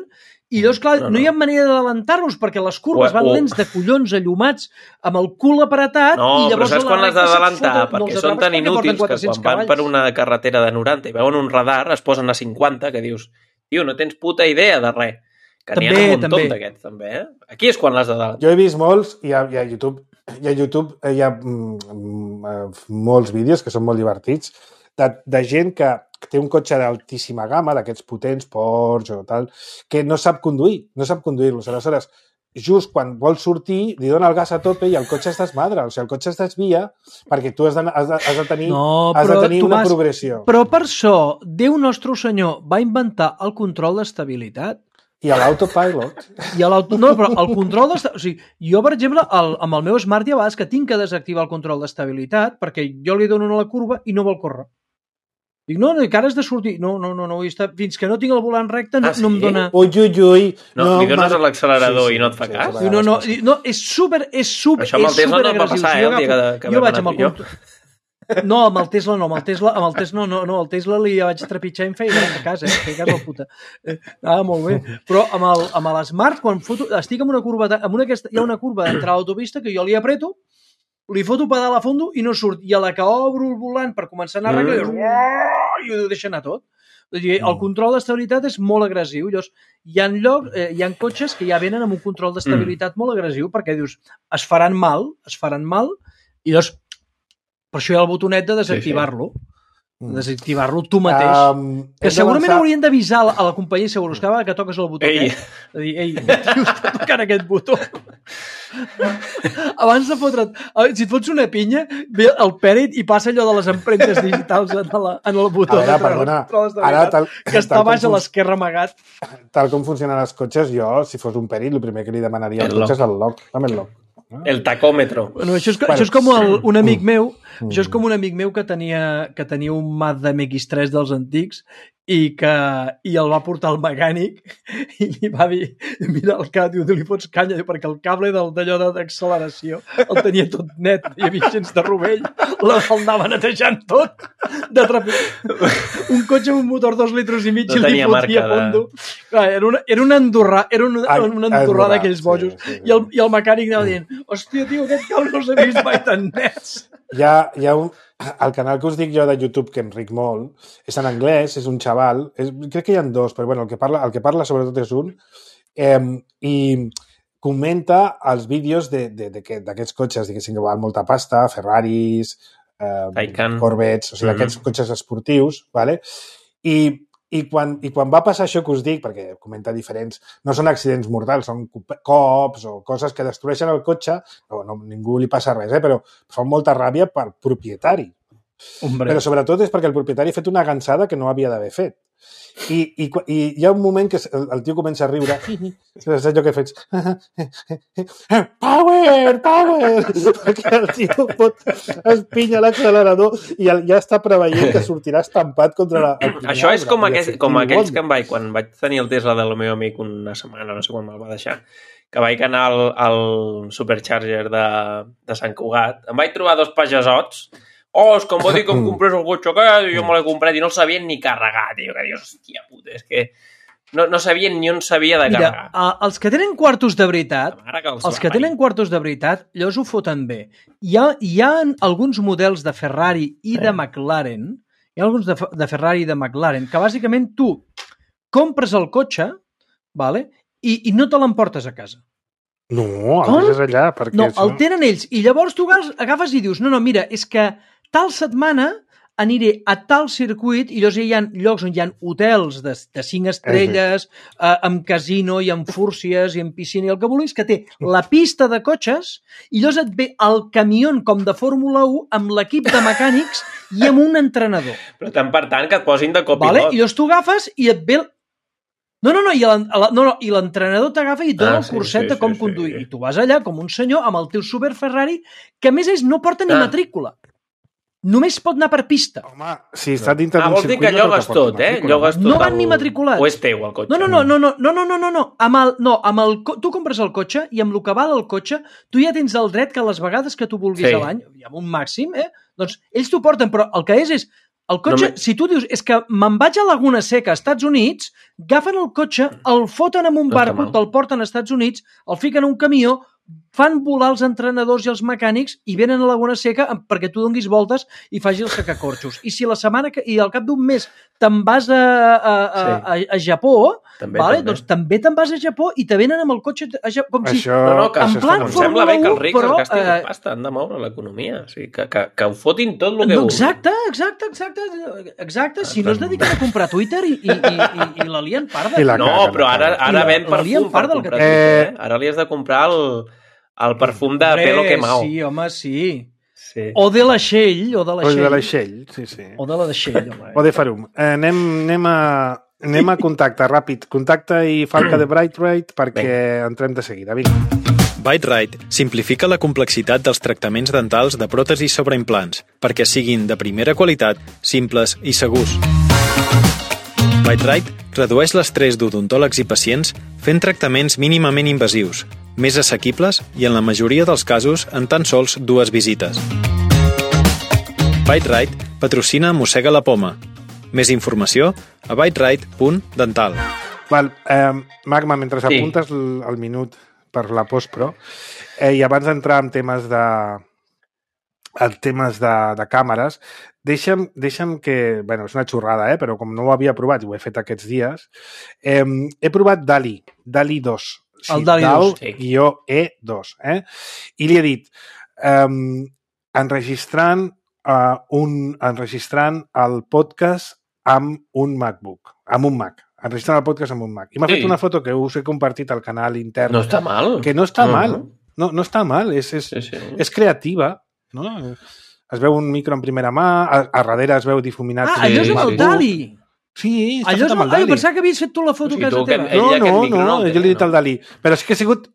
I llavors, clar, no, no. no hi ha manera d'adelantar-los perquè les curves o, van o... lents de collons allumats amb el cul apretat no, i llavors... No, però saps quan l'has d'adelantar? Perquè són tan inútils que quan van per una carretera de noranta i veuen un radar es posen a cinquanta que dius, tio, no tens puta idea de res. Que n'hi ha un muntó d'aquests, també, eh? Aquí és quan l'has d'adelantar. Jo he vist molts i a, i a YouTube, i a YouTube hi ha mm, molts vídeos que són molt divertits de, de gent que té un cotxe d'altíssima gamma, d'aquests potents, Porsche o tal, que no sap conduir, no sap conduir-los. Aleshores, just quan vol sortir, li dona el gas a tope i el cotxe es desmadra. O sigui, el cotxe es desvia perquè tu has de, has de, has de tenir, no, has de tenir una progressió. Però per això, Déu nostre senyor va inventar el control d'estabilitat. I a l'autopilot. I a l'auto... No, però el control d'estabilitat... O sigui, jo, per exemple, el, amb el meu Smart hi ha vegades que tinc que desactivar el control d'estabilitat perquè jo li dono a la curva i no vol córrer. Dic, no, no, que ara has de sortir. No, no, no, no, fins que no tinc el volant recte no, ah, sí? no em dona... Ui, ui, ui. No, no li dones a l'accelerador sí, sí, i no et fa sí, cas? Sí, no, no, no, és super, és super, això amb el Tesla no et va passar, eh, el dia que, que jo vaig amb el jo. No, amb el Tesla no, amb el Tesla, amb el Tesla no, no, no, el Tesla li vaig trepitjar en feina a casa, eh, feia cas la puta. Ah, molt bé. Però amb el, amb l'Smart, quan foto, estic en una curva, amb una, hi ha una curva d'entrar a l'autopista que jo li apreto, li foto pedal a fondo i no surt. I a la que obro el volant per començar a anar mm. arreglar, i ho deixa anar tot. El control d'estabilitat és molt agressiu. Llavors, hi ha lloc, eh, hi ha cotxes que ja venen amb un control d'estabilitat mm. molt agressiu perquè dius, es faran mal, es faran mal, i llavors, per això hi ha el botonet de desactivar-lo. Sí, sí. Desactivar-lo tu mateix. Um, que segurament haurien d'avisar a la companyia de seguros cada vegada que toques el botó. Ei. Eh? De dir, ei, tio, està tocant aquest botó. Abans de fotre't, si et fots una pinya, ve el pèrit i passa allò de les empremtes digitals en, la, en el botó. Ara, perdona, ara tal, que està baix a l'esquerra amagat. Tal com funcionen els cotxes, jo, si fos un pèrit, el primer que li demanaria al cotxe és el lock. Dame el lock. El tacòmetre. Bueno, això és, bueno, això és com el, un amic meu, mm. això és com un amic meu que tenia, que tenia un Mazda M X tres dels antics i que i el va portar al mecànic i li va dir, mira el que diu, li fots canya, perquè el cable d'allò d'acceleració el tenia tot net, hi havia gens de rovell, el anava netejant tot de trepit. Un cotxe amb un motor dos litres i mig no i li fotia fondo. De... Clar, era, una, era un andorrà, era un, Ai, un andorrà d'aquells bojos. Sí, sí, sí. I, el, I el mecànic anava dient, hòstia, tio, aquest cable no s'ha vist mai tan nets. Hi ha, hi ha un... El canal que us dic jo de YouTube, que em ric molt, és en anglès, és un xaval, és, crec que hi ha dos, però bueno, el que parla, el que parla sobretot és un, eh, i comenta els vídeos d'aquests de, de, cotxes, diguéssim, que val molta pasta, Ferraris, eh, Corvettes, o sigui, d'aquests mm-hmm. cotxes esportius, ¿vale? I, i, quan, i quan va passar això que us dic, perquè comenta diferents, no són accidents mortals, són cops o coses que destrueixen el cotxe, no, no, ningú li passa res, eh, però fa molta ràbia per propietari. Hombre. Però sobretot és perquè el propietari ha fet una gansada que no havia d'haver fet. I, i, I hi ha un moment que el, el tio comença a riure. És allò que fets... Power! Power! Perquè el tio pot espinya l'accelerador i el, ja està preveient que sortirà estampat contra la... Això és com, aquest, com aquells que em vaig... Quan vaig tenir el Tesla del meu amic una setmana, no sé quan me'l va deixar, que vaig anar al, al Supercharger de, de Sant Cugat, em vaig trobar dos pagesots. Oh, és que em va dir que em comprés el cotxe aquest i jo me l'he comprat i no el sabien ni carregar, tio, que dius, hòstia puta, és que no, no sabien ni on s'havia de carregar. Mira, els que tenen quartos de veritat, que els, els que tenen quartos de veritat, llavors ho foten bé. Hi ha, hi ha alguns models de Ferrari i de McLaren, hi ha alguns de, de Ferrari i de McLaren, que bàsicament tu compres el cotxe, vale, i, i no te l'emportes a casa. No, el deixes allà. Perquè no, el tenen ells. I llavors tu agafes i dius, no, no, mira, és que tal setmana aniré a tal circuit i llavors hi ha llocs on hi ha hotels de, de cinc estrelles, eh, amb casino i amb fúrcies i amb piscina i el que vulguis, que té la pista de cotxes i llavors et ve el camió com de Fórmula u amb l'equip de mecànics i amb un entrenador. Però tant per tant que et posin de copilot. Vale? I llavors tu agafes i et ve... No, no, no, i l'entrenador t'agafa i et dona ah, el curset sí, sí, de com sí, conduir. Sí, sí. I tu vas allà com un senyor amb el teu super Ferrari que a més ells no porta ni ah. matrícula. Només pot anar per pista. Home, si està dintre ah, d'un circuit... Ah, vol dir que llogues no tot, eh? Llogues tot no van el... ni matriculats. O és teu, el cotxe? No, no, no, no, no, no, no, no, no. Amb el, no amb el, tu compres el cotxe i amb el que val el cotxe, tu ja tens el dret que les vegades que tu vulguis sí. a l'any, i amb un màxim, eh? Doncs ells t'ho porten, però el que és és... El cotxe, no me... si tu dius, és que me'n vaig a Laguna Seca, als Estats Units, agafen el cotxe, el foten en un No està barco, mal. te'l porten als Estats Units, el fiquen en un camió, fan volar els entrenadors i els mecànics i venen a Laguna Seca perquè tu donguis voltes i facis els sacacorxos. I si la setmana que, i al cap d'un mes te'n vas a, a, a, Sí. a, a Japó, També, vale? també. Doncs també te'n vas a Japó i te venen amb el cotxe a Japó, com si... Això, No, no, que en això plan està Em molt sembla bé que els Fórmula rics u, es però, gastin eh, pasta, han de moure l'economia. O sigui, que, que, que ho fotin tot el que No, vulguin. exacte, exacte, exacte, exacte. Si no es dediquen a comprar Twitter i, i, i, i, i la lien parda. I la No, caguen, però ara, la caguen. ara I la- ven la lien perfum per part del comprar que- Twitter, eh? Ara li has de comprar el, el perfum de Hombre, pelo quemao. Sí, home, sí. Sí. O de la Shell, o de la O de Shell. l'aixell, sí, sí. O de la de Shell, home. O de Farum. Eh, anem, anem, a, anem a contacte, ràpid. Contacte i falca de Brightride perquè entrem de seguida. Vinga. BiteRite simplifica la complexitat dels tractaments dentals de pròtesis sobre implants perquè siguin de primera qualitat, simples i segurs. BiteRite redueix l'estrès d'odontòlegs i pacients fent tractaments mínimament invasius, més assequibles i en la majoria dels casos en tan sols dues visites. BiteRite patrocina Mossega la Poma. Més informació a biterite punt dental. Val, eh, Magma, mentre Sí. apuntes el, el minut per la postpro, eh, i abans d'entrar en temes de en temes de, de càmeres, deixa'm, deixa'm que... Bueno, és una xorrada, eh? Però com no ho havia provat i ho he fet aquests dies, eh, he provat DALI, DALI dos. El DALI dos, sí. E dos. Eh? I li he dit, eh, enregistrant, uh, un, enregistrant el podcast amb un MacBook, amb un Mac. Enregistrant el podcast amb un Mac. I m'ha Sí. fet una foto que us he compartit al canal intern. No està mal. Que no està No. mal. No, no està mal. És, és, Sí, sí. és creativa. No? Es veu un micro en primera mà, a, a darrere es veu difuminat. Ah, un allò és amb el MacBook. Dali. Sí, està Allò fet és amb el... el Ai, Dali. pensava que havies fet tu la foto O sigui, a casa tu que- teva. ell No, aquest no, micro no, no el té, jo li he dit no? al Dalí. Però és que ha sigut...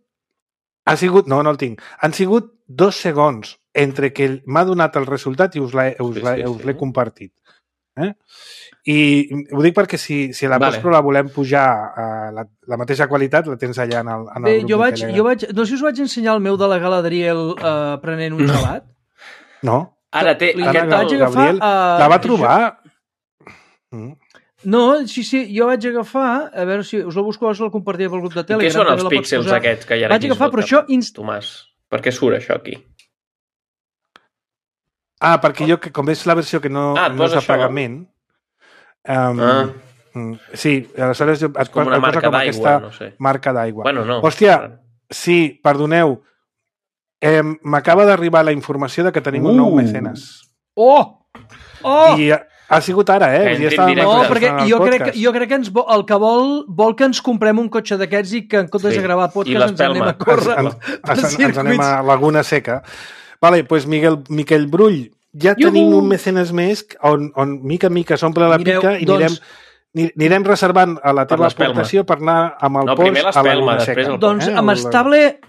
Ha sigut... No, no el tinc. Han sigut dos segons entre que m'ha donat el resultat i us l'he us Sí, l'he sí, us sí. l'he compartit. Eh? I ho dic perquè si, si a la Vale. postpro la volem pujar a la, la mateixa qualitat, la tens allà en el, en el Bé, grup jo de vaig, Telegram. jo vaig... No sé si us vaig ensenyar el meu de la Galadriel eh, prenent un No. gelat. No? Ara té... Li Ara Aquest, no, vaig el, agafar... Gabriel, eh, La va trobar... Mm. No, sí, sí, jo vaig agafar... A veure si us el busco, us el compartiré pel grup de I Telegram. què són també els la pots píxels posar. aquests que hi ha Vaig aquí agafar, però sota, això... Inst... Tomàs? Per què surt això aquí? Ah, perquè jo, que com és la versió que no, Ah, et no és posa de això? pagament... Um, Ah. mm, sí, aleshores jo, et, Com una et posa marca com d'aigua, aquesta no sé. marca d'aigua. Bueno, no. Hòstia, sí, perdoneu. Eh, M'acaba d'arribar la informació de que tenim un nou Uh. mecenes. Oh! Oh! I ha, ha sigut ara, eh? Que Vull dir, entri en estàvem directe. No, enregistrant perquè el jo crec, que, podcast. jo crec que ens, vo- el que vol, vol que ens comprem un cotxe d'aquests i que en comptes Sí. de gravar I podcast ens anem l'espelma. a córrer Ens, per ens, ens anem circuits. a Laguna Seca. Vale, doncs Miguel, Miquel Brull, ja Iuhu! tenim un mecenes més on, on mica en mica s'omple la Mireu, pica i doncs- anirem, ni- anirem reservant a la Per teva l'espelma. aportació per anar amb el No, Porsche primer a l'espelma, Laguna després Seca. el Doncs Eh, amb el- estable...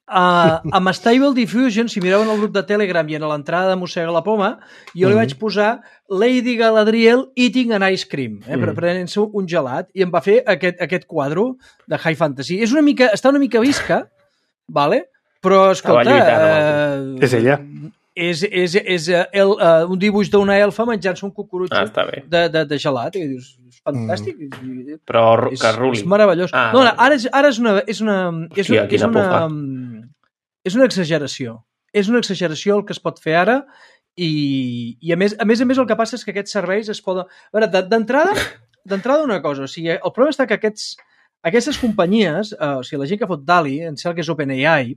Uh, amb Stable Diffusion, si mireu en el grup de Telegram i en l'entrada de Mossega la Poma, jo li Mhm. vaig posar Lady Galadriel eating an ice cream, eh, Mhm. prenent-se un gelat, i em va fer aquest, aquest quadro de High Fantasy. És una mica, està una mica visca, vale? Però, escolta... lluitant, eh, És ella. És, és, és eh, el, uh, un dibuix d'una elfa menjant-se un cucurutxo Ah, està bé. de, de, de gelat. I dius, és fantàstic. Mm. Però ru- És, que ruli. és meravellós. Ah, no, no, vale. ara és, ara és una... És una, és, Hòstia, una, és, quina una, pufa. és una exageració. És una exageració el que es pot fer ara i, i a, més, a més a més el que passa és que aquests serveis es poden... A veure, de- d'entrada d'entrada una cosa, o sigui, el problema està que aquests, aquestes companyies, eh, o sigui, la gent que fot DALI, em sembla que és OpenAI,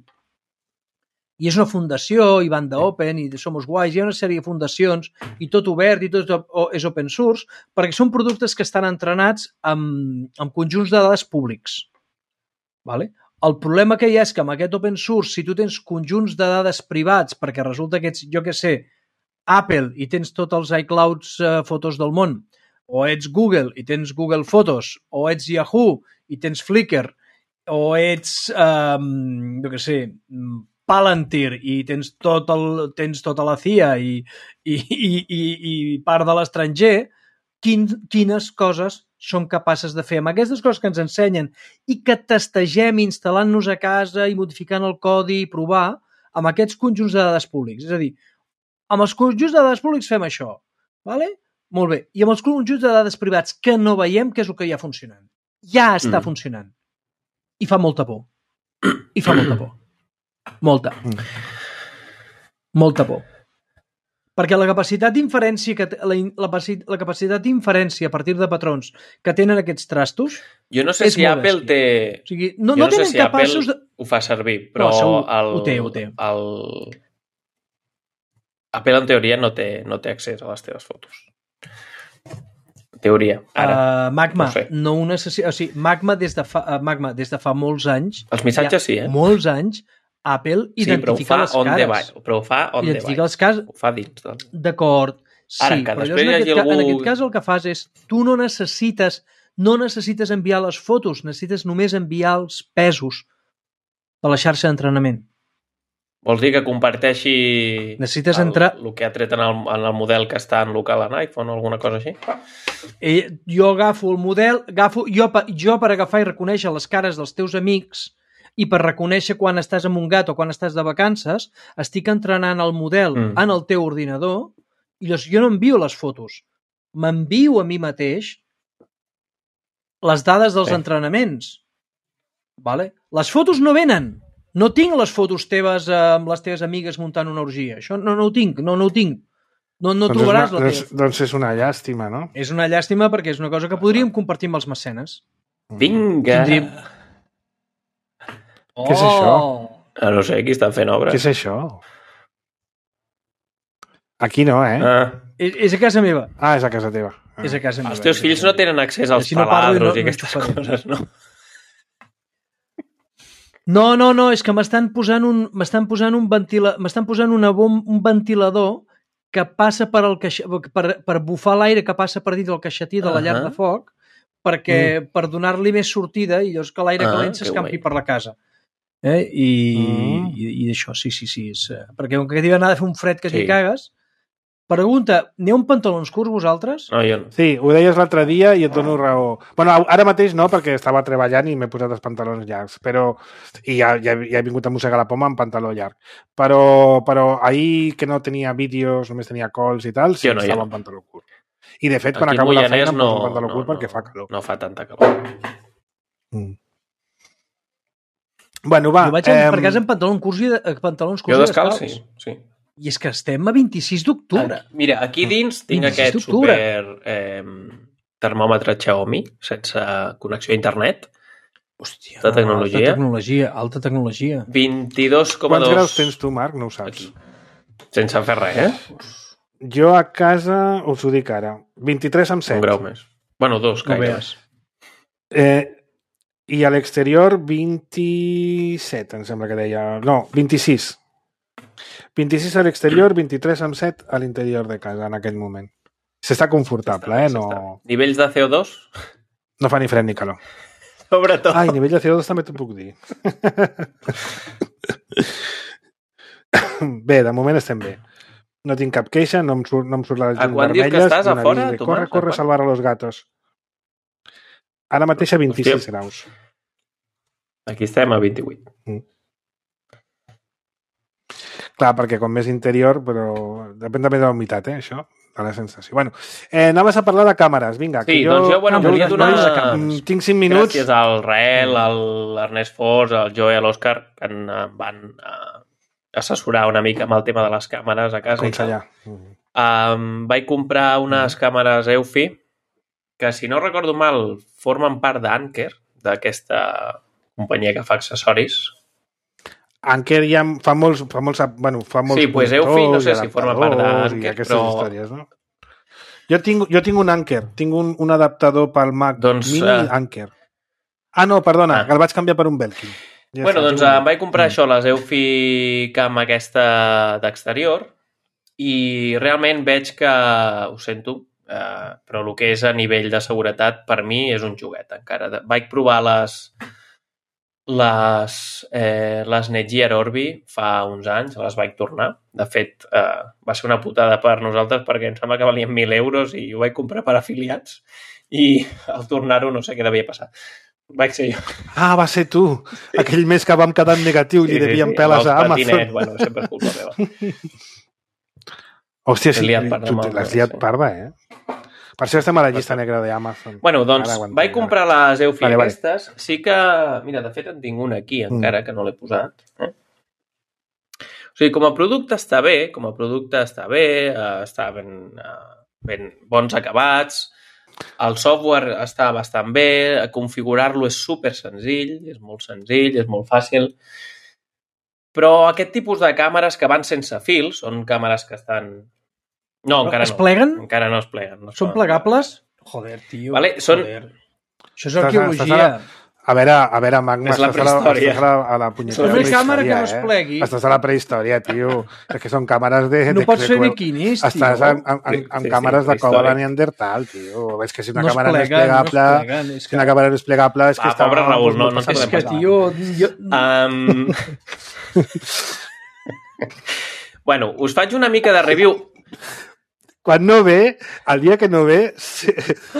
i és una fundació, i van d'Open, i de Somos Guais, hi ha una sèrie de fundacions, i tot obert, i tot és open source, perquè són productes que estan entrenats amb, amb conjunts de dades públics. Vale? El problema que hi ha és que amb aquest open source, si tu tens conjunts de dades privats, perquè resulta que ets, jo què sé, Apple i tens tots els iClouds eh, fotos del món, o ets Google i tens Google Fotos, o ets Yahoo i tens Flickr, o ets, eh, jo què sé, Palantir i tens, tot el, tens tota la C I A i, i, i, i, i part de l'estranger, quin, quines coses són capaces de fer amb aquestes coses que ens ensenyen i que testegem instal·lant-nos a casa i modificant el codi i provar amb aquests conjunts de dades públics. És a dir, amb els conjunts de dades públics fem això. Vale? Molt bé. I amb els conjunts de dades privats que no veiem, què és el que hi ha funcionant? Ja està mm. funcionant. I fa molta por. I fa molta por. Molta. Mm. Molta por. Perquè la capacitat d'inferència que la, la, la capacitat d'inferència a partir de patrons que tenen aquests trastos jo no sé si Apple té o sigui, no, jo no, no sé tenen si capaços Apple de... ho fa servir, però no, segur, el, ho té, ho té. El... Apple en teoria no té, no té accés a les teves fotos. En teoria, ara. Uh, Magma, no, sé. no ho necessita, o sigui, Magma des de fa, uh, Magma des de fa molts anys, els missatges sí, eh? Molts anys Apple identifica sí, les cares. Sí, però ho fa on identifica the les cares. Ho fa dins. Doncs. D'acord. Sí, ara, que però després en, aquest, algú... en aquest cas el que fas és tu no necessites no necessites enviar les fotos, necessites només enviar els pesos de la xarxa d'entrenament. Vols dir que comparteixi necessites el, entrar... el que ha tret en el, en el model que està en local en iPhone o alguna cosa així? Eh, jo agafo el model, agafo, jo, jo per agafar i reconèixer les cares dels teus amics i per reconèixer quan estàs amb un gat o quan estàs de vacances, estic entrenant el model mm. en el teu ordinador i llavors jo no envio les fotos. M'envio a mi mateix les dades dels sí. entrenaments. Vale? Les fotos no venen. No tinc les fotos teves eh, amb les teves amigues muntant una orgia. Això no, no ho tinc, no, no ho tinc. No, no doncs trobaràs una, la teva. Doncs, doncs és una llàstima, no? És una llàstima perquè és una cosa que podríem compartir amb els mecenes. Vinga! Tindríem... Oh. Què és això? Ah, no sé, qui està fent obres. Què és això? Aquí no, eh? Ah. És, és a casa meva. Ah, és a casa teva. Ah. És a casa meva. Els teus fills no tenen accés als si no taladros no, i aquestes no coses, no? No, no, no, és que m'estan posant un m'estan posant un ventila, m'estan posant una bom, un ventilador que passa per el caixa, per, per bufar l'aire que passa per dins del caixetí de la llar uh -huh. de foc perquè mm. per donar-li més sortida i llavors que l'aire ah, calent s'escampi per la casa. Eh? I, mm. i, i això, sí, sí, sí. És, perquè com que diuen anar a fer un fred que sí. t'hi cagues. Pregunta, n'hi ha un pantalons curts vosaltres? No, jo no. Sí, ho deies l'altre dia i et dono raó. Bueno, ara mateix no, perquè estava treballant i m'he posat els pantalons llargs, però i ja, ja, ja he vingut a mossegar la poma amb pantaló llarg. Però, però ahir que no tenia vídeos, només tenia calls i tal, sí, no, estava amb pantaló curt. I de fet, quan aquí acabo la feina em no, poso un pantaló no, curt no, perquè fa calor. No fa tanta calor. Mm. Bueno, va. Jo vaig eh, per casa amb pantalons curts i, de, pantalons curts jo descalç, sí, sí. I és que estem a vint-i-sis d'octubre. Mira, aquí dins tinc aquest super eh, termòmetre Xiaomi sense connexió a internet. Hòstia, de tecnologia. Alta tecnologia, alta tecnologia. vint-i-dos coma dos. Quants graus tens tu, Marc? No ho saps. Aquí. Sense fer res, eh? Jo a casa, us ho dic ara, vint-i-tres amb set. Un grau més. Bueno, dos, no gaire. Eh, I a l'exterior, vint-i-set, em sembla que deia. No, vint-i-sis. vint-i-sis a l'exterior, vint-i-tres amb set a l'interior de casa en aquest moment. S'està confortable, eh? No... Nivells de C O dos? No fa ni fred ni calor. Sobretot. Ai, nivell de C O dos també t'ho puc dir. Bé, de moment estem bé. No tinc cap queixa, no em surt, no em surt la llum vermella. A quan dius que estàs a fora? De, corre, corre, a salvar a los gatos. Ara mateix a vint-i-sis Hòstia. Graus. Aquí estem a vint-i-vuit. Mm. Clar, perquè com més interior, però depèn també de la humitat, eh, això, de la sensació. Bueno, eh, anaves a parlar de càmeres, vinga. Sí, que jo, doncs jo, bueno, jo volia donar... Tinc cinc minuts. Gràcies al Rael, a l'Ernest Fors, al Joe i a l'Òscar, que en van uh, assessorar una mica amb el tema de les càmeres a casa. Aconsellar. Um, vaig comprar unes càmeres Eufy, que si no recordo mal, formen part d'Anker, d'aquesta companyia que fa accessoris. Anker ja fa molts... Fa molts, bueno, fa molts sí, pues Eufy no sé si forma part d'Anker, però... històries, no? Jo tinc, jo tinc un Anker, tinc un, un adaptador pel Mac doncs, Mini uh... Anker. Ah, no, perdona, ah. el vaig canviar per un Belkin. Ja bueno, doncs un... em vaig comprar mm. això, les Eufy Cam aquesta d'exterior, i realment veig que, ho sento, eh, però el que és a nivell de seguretat, per mi és un joguet encara. Vaig provar les... Les, eh, les Netgear Orbi fa uns anys, les vaig tornar. De fet, eh, va ser una putada per nosaltres perquè em sembla que valien mil euros i ho vaig comprar per afiliats i al tornar-ho no sé què devia passar. Vaig ser jo. Ah, va ser tu. Aquell mes que vam quedar en negatiu i li sí, devien sí, peles a Amazon. Patinet, bueno, sempre és culpa meva. Hòstia, sí, liat parda tu amb el- l'has liat sí. parda, eh? Per això estem a la llista negra d'Amazon. Bueno, doncs, Ara ho entenc, vaig comprar les Eufy Vale, vale. aquestes. Sí que... Mira, de fet en tinc una aquí, encara, que no l'he posat. Eh? O sigui, com a producte està bé, com a producte està bé, eh, està ben, eh, ben bons acabats, el software està bastant bé, configurar-lo és super senzill, és molt senzill, és molt fàcil, però aquest tipus de càmeres que van sense fil, són càmeres que estan... No, encara Es no. pleguen? Encara no es pleguen. No es Són poden plegables? Joder, tio. Vale, són- Joder. Això és Estàs- arqueologia. estàs A veure, a veure, Magma, És la estàs a la, prehistòria. estàs a la, a la punyetera Una càmera que no prehistòria, es eh? plegui. Estàs a la prehistòria, tio. És que són càmeres de... No de, pots de, fer de- biquinis, tio. Estàs amb, amb, amb, amb Sí, sí, càmeres de cova prehistòric. de Neandertal, tio. És que si una No es càmera no és pleguen, no es plegable... pleguen, és Si que- una càmera no és plegable... És que Ah, està, pobre Raül, no- no passa te És podem que, res. tio... Jo... Um... bueno, us faig una mica de review. Quan no ve, el dia que no ve, se-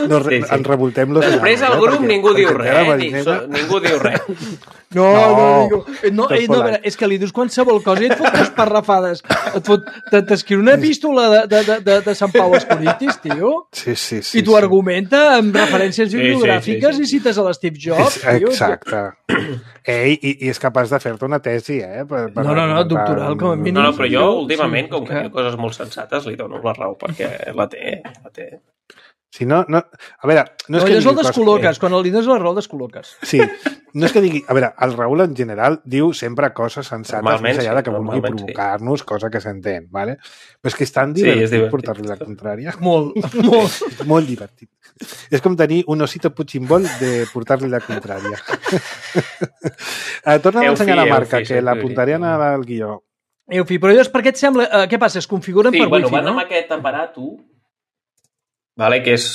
no, Sí, sí. ens revoltem los Després nanos, al eh? grup Perquè- ningú diu perquè res, té la eh? Ni, marinera- so, ningú diu res. No, No, no, digo, eh, no, tot eh, no, a veure, polite. és que li dius qualsevol cosa i et fot unes parrafades. Et fot, te- t'escriu una epístola de, de, de, de, de Sant Pau als Corintis, tio, Sí, sí, sí. i t'ho sí. argumenta amb referències sí, bibliogràfiques sí, sí. i cites a l'Steve Jobs, És- tio. Exacte. Ei, i, i és capaç de fer-te una tesi, eh? Per, per, No, no, no, doctoral, com a mínim. No, no, però jo, Jo, últimament, sí, com és que que- diu coses molt sensates, li dono la raó, perquè la té, la té. Si no, no... A veure, no és No, que allò el digui coses... descol·loques, quan li dones la raó el descol·loques. Sí, no és que digui... A veure, el Raül en general diu sempre coses sensates Normalment més enllà sí, de que vulgui normalment sí. provocar-nos, cosa que s'entén, ¿vale? Però és que és tan Sí, és divertit, divertit. portar-li la contrària. Molt, molt. És molt divertit. És com tenir un osito puchimbol de portar-li la contrària. eh, torna a Eufi, ensenyar la marca, Eufi, que sí, l'apuntaré sí. al guió. Eufi, però llavors per què et sembla... Eh, què passa? Es configuren Sí, per bueno, wifi, van no? amb aquest aparato, vale, que és...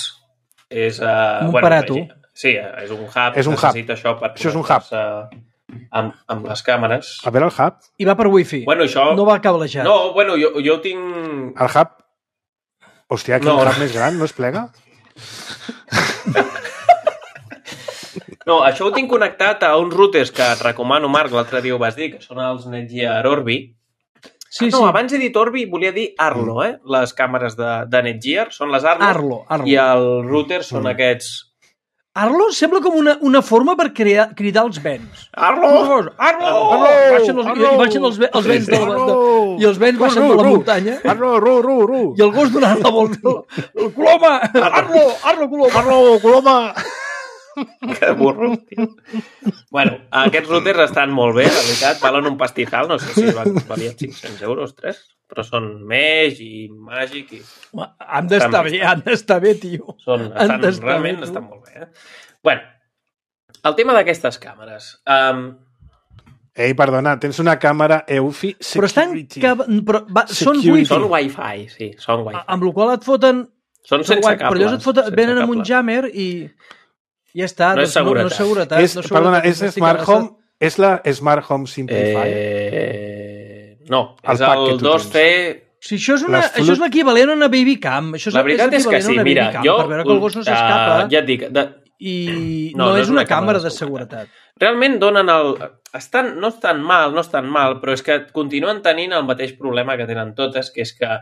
és uh, Un aparato. Sí, és un hub. És un hub. necessita això per Això és un hub. connectar-se amb, amb les càmeres. A veure el hub. I va per wifi. Bueno, això... No va cablejat. No, bueno, jo, jo ho tinc... El hub... Hòstia, quin No. hub més gran, no es plega? No, això ho tinc connectat a uns routers que et recomano, Marc, l'altre dia ho vas dir, que són els Netgear Orbi. Sí, no, sí. abans he dit Orbi, volia dir Arlo, eh? Les càmeres de, de Netgear són les Arlo. Arlo, Arlo. I el router són Mm. aquests... Arlo sembla com una, una forma per crear, cridar els vents. Arlo! Arlo! Arlo! Baixen els, Arlo! i baixen els, ve- els vents de la, de, i els vents baixen Ru, de la ru, muntanya Arlo, ru, ru, ru. i el gos donant la volta. El Coloma! Arlo! Arlo, Coloma! Arlo, Coloma! Que burro, tio. Bueno, aquests routers estan molt bé, la veritat, valen un pastizal, no sé si van, valien cinc-cents euros, tres, però són Mesh i Magic i Han d'estar bé, han d'estar bé, tio. són, Han estan, d'estar realment bé, tu. estan molt bé. Eh? Bueno, el tema d'aquestes càmeres. Um, Ei, perdona, tens una càmera Eufy Però estan... Security. Que, però, va, són Security. wifi, són Wi-Fi, sí, són Wi-Fi. amb la qual et foten... Són són sense guai, cables. però llavors et foten, sense venen amb un cables. jammer i... Ja està, No és doncs no, no és seguretat. És, no és perdona, seguretat, és no estic Smart gaire- Home? És la Smart Home Simplify? Eh... No, El és pack el que tu dos C... Si això és, una, Les això és flut- l'equivalent a una baby cam. Això és, La veritat és, que l'equivalent a sí, una mira, baby cam, jo... per veure que el gos no s'escapa Uh, ja et dic, de, i No, no, és una càmera de seguretat. seguretat. realment donen el... Estan, no estan mal, no estan mal, però és que continuen tenint el mateix problema que tenen totes, que és que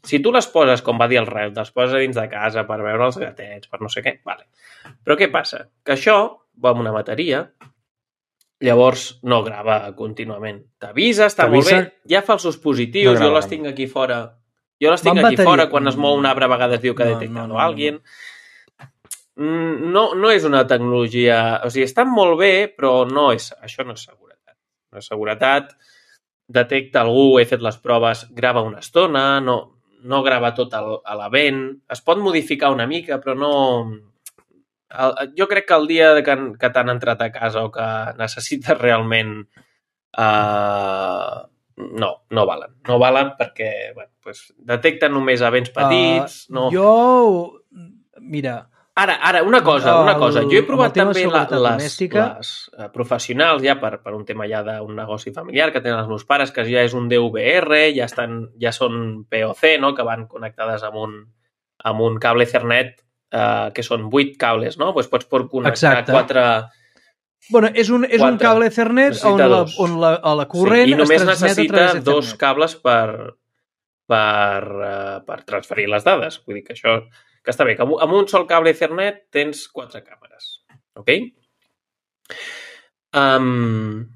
si tu les poses, com va dir el Raül, les poses a dins de casa per veure els gatets, per no sé què, vale. Però què passa? Que això va amb una bateria, llavors no grava contínuament. T'avisa, està molt bé, T'avisa. ja fa els seus positius, No grava, jo les no. tinc aquí fora. Jo les tinc Va amb aquí bateria. fora, quan es mou un arbre a vegades diu que ha No, detectat no, no, o no, alguien. Mm, No, no és una tecnologia... O sigui, estan molt bé, però no és, això no és seguretat. No és seguretat, detecta algú, he fet les proves, grava una estona, no, no grava tot el, a la vent, es pot modificar una mica, però no... El, jo crec que el dia que, que t'han entrat a casa o que necessites realment... Uh, no, no valen. No valen perquè bueno, pues, detecten només a vents petits. Uh, no... Jo... Mira, Ara, ara, una cosa, una El- cosa. Jo he amb provat el tema de també la, seguretat les, domèstica. les uh, professionals, ja per, per un tema ja d'un negoci familiar que tenen els meus pares, que ja és un D V R, ja, estan, ja són P O C, no? Que van connectades amb un, amb un cable Ethernet, uh, que són vuit cables, no? Pues pots por connectar Exacte. quatre... bueno, és un, és un Quatre. cable Ethernet on Necessita la, dos. on la, a la corrent sí, i només es transmet a necessita través dos d'Ethernet. cables per, per, uh, per transferir les dades. Vull dir que això que està bé, que amb un sol cable Ethernet tens quatre càmeres. Ok? Um,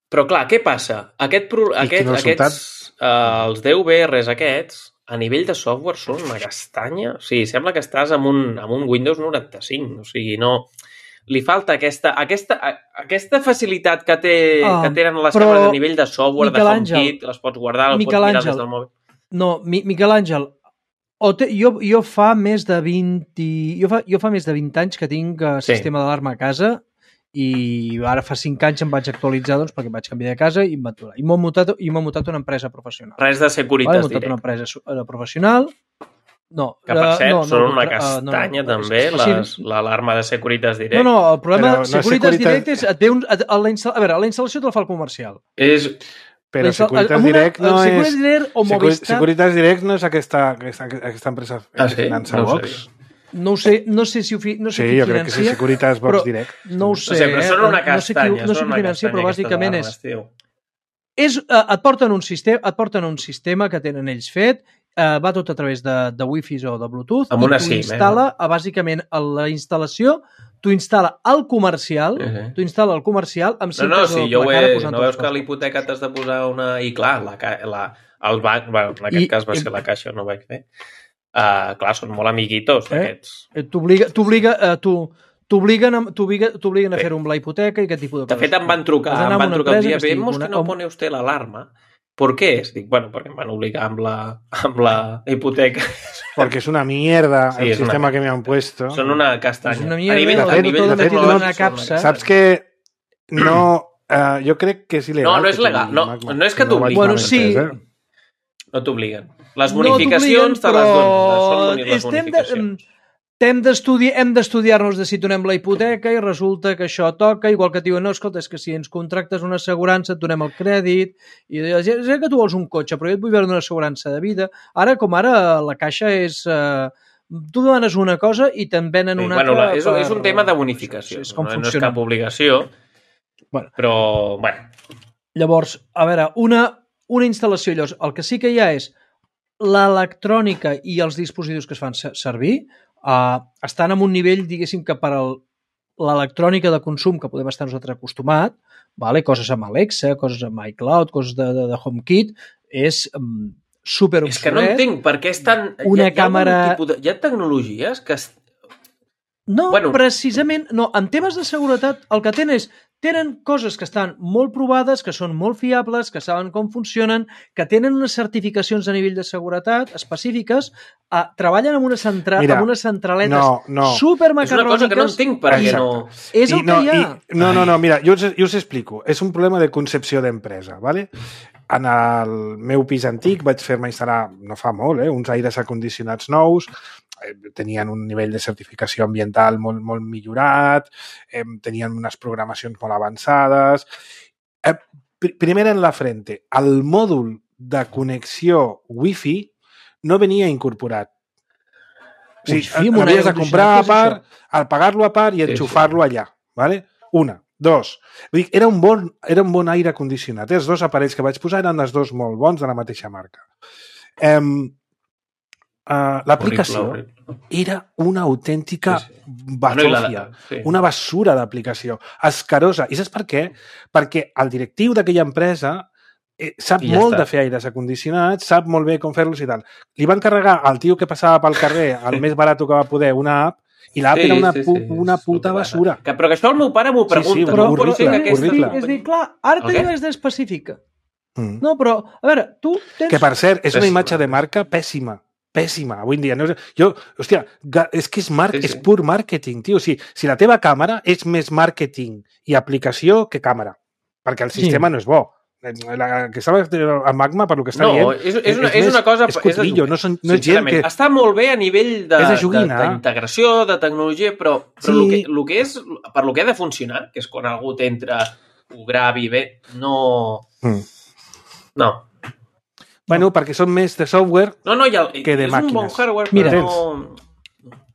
però clar, què passa? Aquest, aquest, aquests, uh, els D V Rs aquests, a nivell de software són una castanya. O sigui, sembla que estàs amb un, amb un Windows noranta-cinc. O sigui, no... Li falta aquesta, aquesta, aquesta facilitat que, té, uh, que tenen les càmeres a nivell de software, de HomeKit, les pots guardar, les pots mirar des del mòbil. No, Mi, Miquel Àngel, te, jo, jo fa més de vint... Jo fa, jo fa més de vint anys que tinc uh, sí. sistema d'alarma a casa i ara fa cinc anys em vaig actualitzar doncs, perquè vaig canviar de casa i em vaig aturar. I m'ho mutat, i m'ho mutat a una empresa professional. Res de Securitas vale, Direct. Una empresa professional. No, que per cert, no, són no, una castanya no, no, també, l'alarma de Securitas Direct. No, no, el problema de no Securitas Securitas... Direct és... Et ve un, a, a, la a veure, la instal·lació te la fa el comercial. És... Però Securitas Direct no és... Securitas Direct o Movistar... Securitas Direct no és aquesta, aquesta, aquesta empresa ah, sí? finança no Vox. No ho sé, no sé si ho fi, no sé sí, qui jo crec financia, que sí, Securitas Vox Direct. No ho sé, no sé però són una castanya, no sé qui, no sé qui financia, però bàsicament és... és uh, et, porten un sistema, et porten un sistema que tenen ells fet, uh, va tot a través de, de Wi-Fi o de Bluetooth, amb una i tu SIM, instal·la, eh? uh, bàsicament, a la instal·lació, tu instal·la el comercial, uh -huh. tu instal·la el comercial amb cintes no, no, sí, de la cara posant... No veus que a l'hipoteca t'has de posar una... I clar, la, la, el banc, bueno, en aquest I, cas va i, ser la caixa, no ho vaig fer. Uh, clar, són molt amiguitos, eh? aquests. T'obliga, t'obliga, uh, tu... T'obliguen a, t'obliguen a fer-ho amb la hipoteca i aquest tipus de coses. De fet, em van trucar, em van trucar un dia, vemos que no pone usted la alarma. ¿Por qué es? Dic, bueno, perquè em van obligar amb la, amb la hipoteca. Porque es una mierda sí, el sistema una... que me han puesto. Son una castanya. Es una mierda, a nivell, a nivell de, de, de una capsa. Saps que no... Uh, jo crec que és il·legal. No, no és legal. No, no és que t'obliguen. Bueno, sí. No t'obliguen. Les bonificacions te les donen. Són les bonificacions. Hem d'estudiar-nos de si donem la hipoteca i resulta que això toca, igual que et diuen, no, escolta, és que si ens contractes una assegurança et donem el crèdit, i ja sé que tu vols un cotxe, però jo et vull veure una assegurança de vida. Ara, com ara, la caixa és... Eh, tu demanes una cosa i te'n venen una sí, bueno, altra... És, per... és un tema de bonificació, és, és no, no és cap obligació, bueno. però, bueno... Llavors, a veure, una, una instal·lació, llavors, el que sí que hi ha és l'electrònica i els dispositius que es fan servir, Uh, estan en un nivell, diguéssim, que per l'electrònica de consum que podem estar nosaltres acostumats, vale? Coses amb Alexa, coses amb iCloud, coses de, de, de HomeKit, és um, super obsolet. És que no entenc per què és tan... Una hi ha, càmera... Hi ha, de... hi ha tecnologies que... Es... No, bueno... precisament, no. En temes de seguretat, el que tenen és tenen coses que estan molt provades, que són molt fiables, que saben com funcionen, que tenen unes certificacions a nivell de seguretat específiques, eh, treballen amb, una centra... Mira, amb unes centraletes no, no. supermacarròniques. És una cosa que no entenc per què no... És el I, no, que hi ha. I, no, no, no, mira, jo us, jo us explico. És un problema de concepció d'empresa, ¿vale? En el meu pis antic vaig fer-me instal·lar, no fa molt, eh, uns aires acondicionats nous, tenien un nivell de certificació ambiental molt, molt millorat, eh, tenien unes programacions molt avançades. Eh, pr primer en la frente, el mòdul de connexió Wi-Fi no venia incorporat. O sigui, l'havies de comprar a part, al pagar-lo a part i enxufar-lo allà. ¿Vale? Una. Dos. Vull dir, era un bon, era un bon aire condicionat. Els dos aparells que vaig posar eren els dos molt bons de la mateixa marca. Eh, Uh, l'aplicació era una autèntica sí, sí. batòfia, no sí. una basura d'aplicació, escarosa. I saps per què? Perquè el directiu d'aquella empresa eh, sap ja molt està. de fer aires acondicionats, sap molt bé com fer-los i tal. Li van carregar al tio que passava pel carrer, el més barat que va poder, una app, i l'app sí, era una, sí, sí. una puta basura. Que, però que això el meu pare m'ho pregunta. Sí, sí, però, horrible, però, aquesta... horrible. És dir, clar, ara okay. te dius d'específica. Mm. No, però, a veure, tu tens... Que, per cert, és una imatge de marca pèssima. Pèssima, avui en dia. No, jo, hòstia, és que és, mar sí, sí. és pur màrqueting, tio. O sigui, si la teva càmera és més màrqueting i aplicació que càmera, perquè el sistema sí. no és bo. La que estava a Magma, per lo que està no, dient... És, és, una, és, és una cosa... És cotrillo, no, són, no és gent que... Està molt bé a nivell d'integració, de, de, de tecnologia, però, però sí. el, que, el que és, per lo que ha de funcionar, que és quan algú t'entra, ho gravi bé, no... Mm. No. Bueno, perquè són més de software no, no, el, que de és màquines. És un bon hardware, Mira, però no...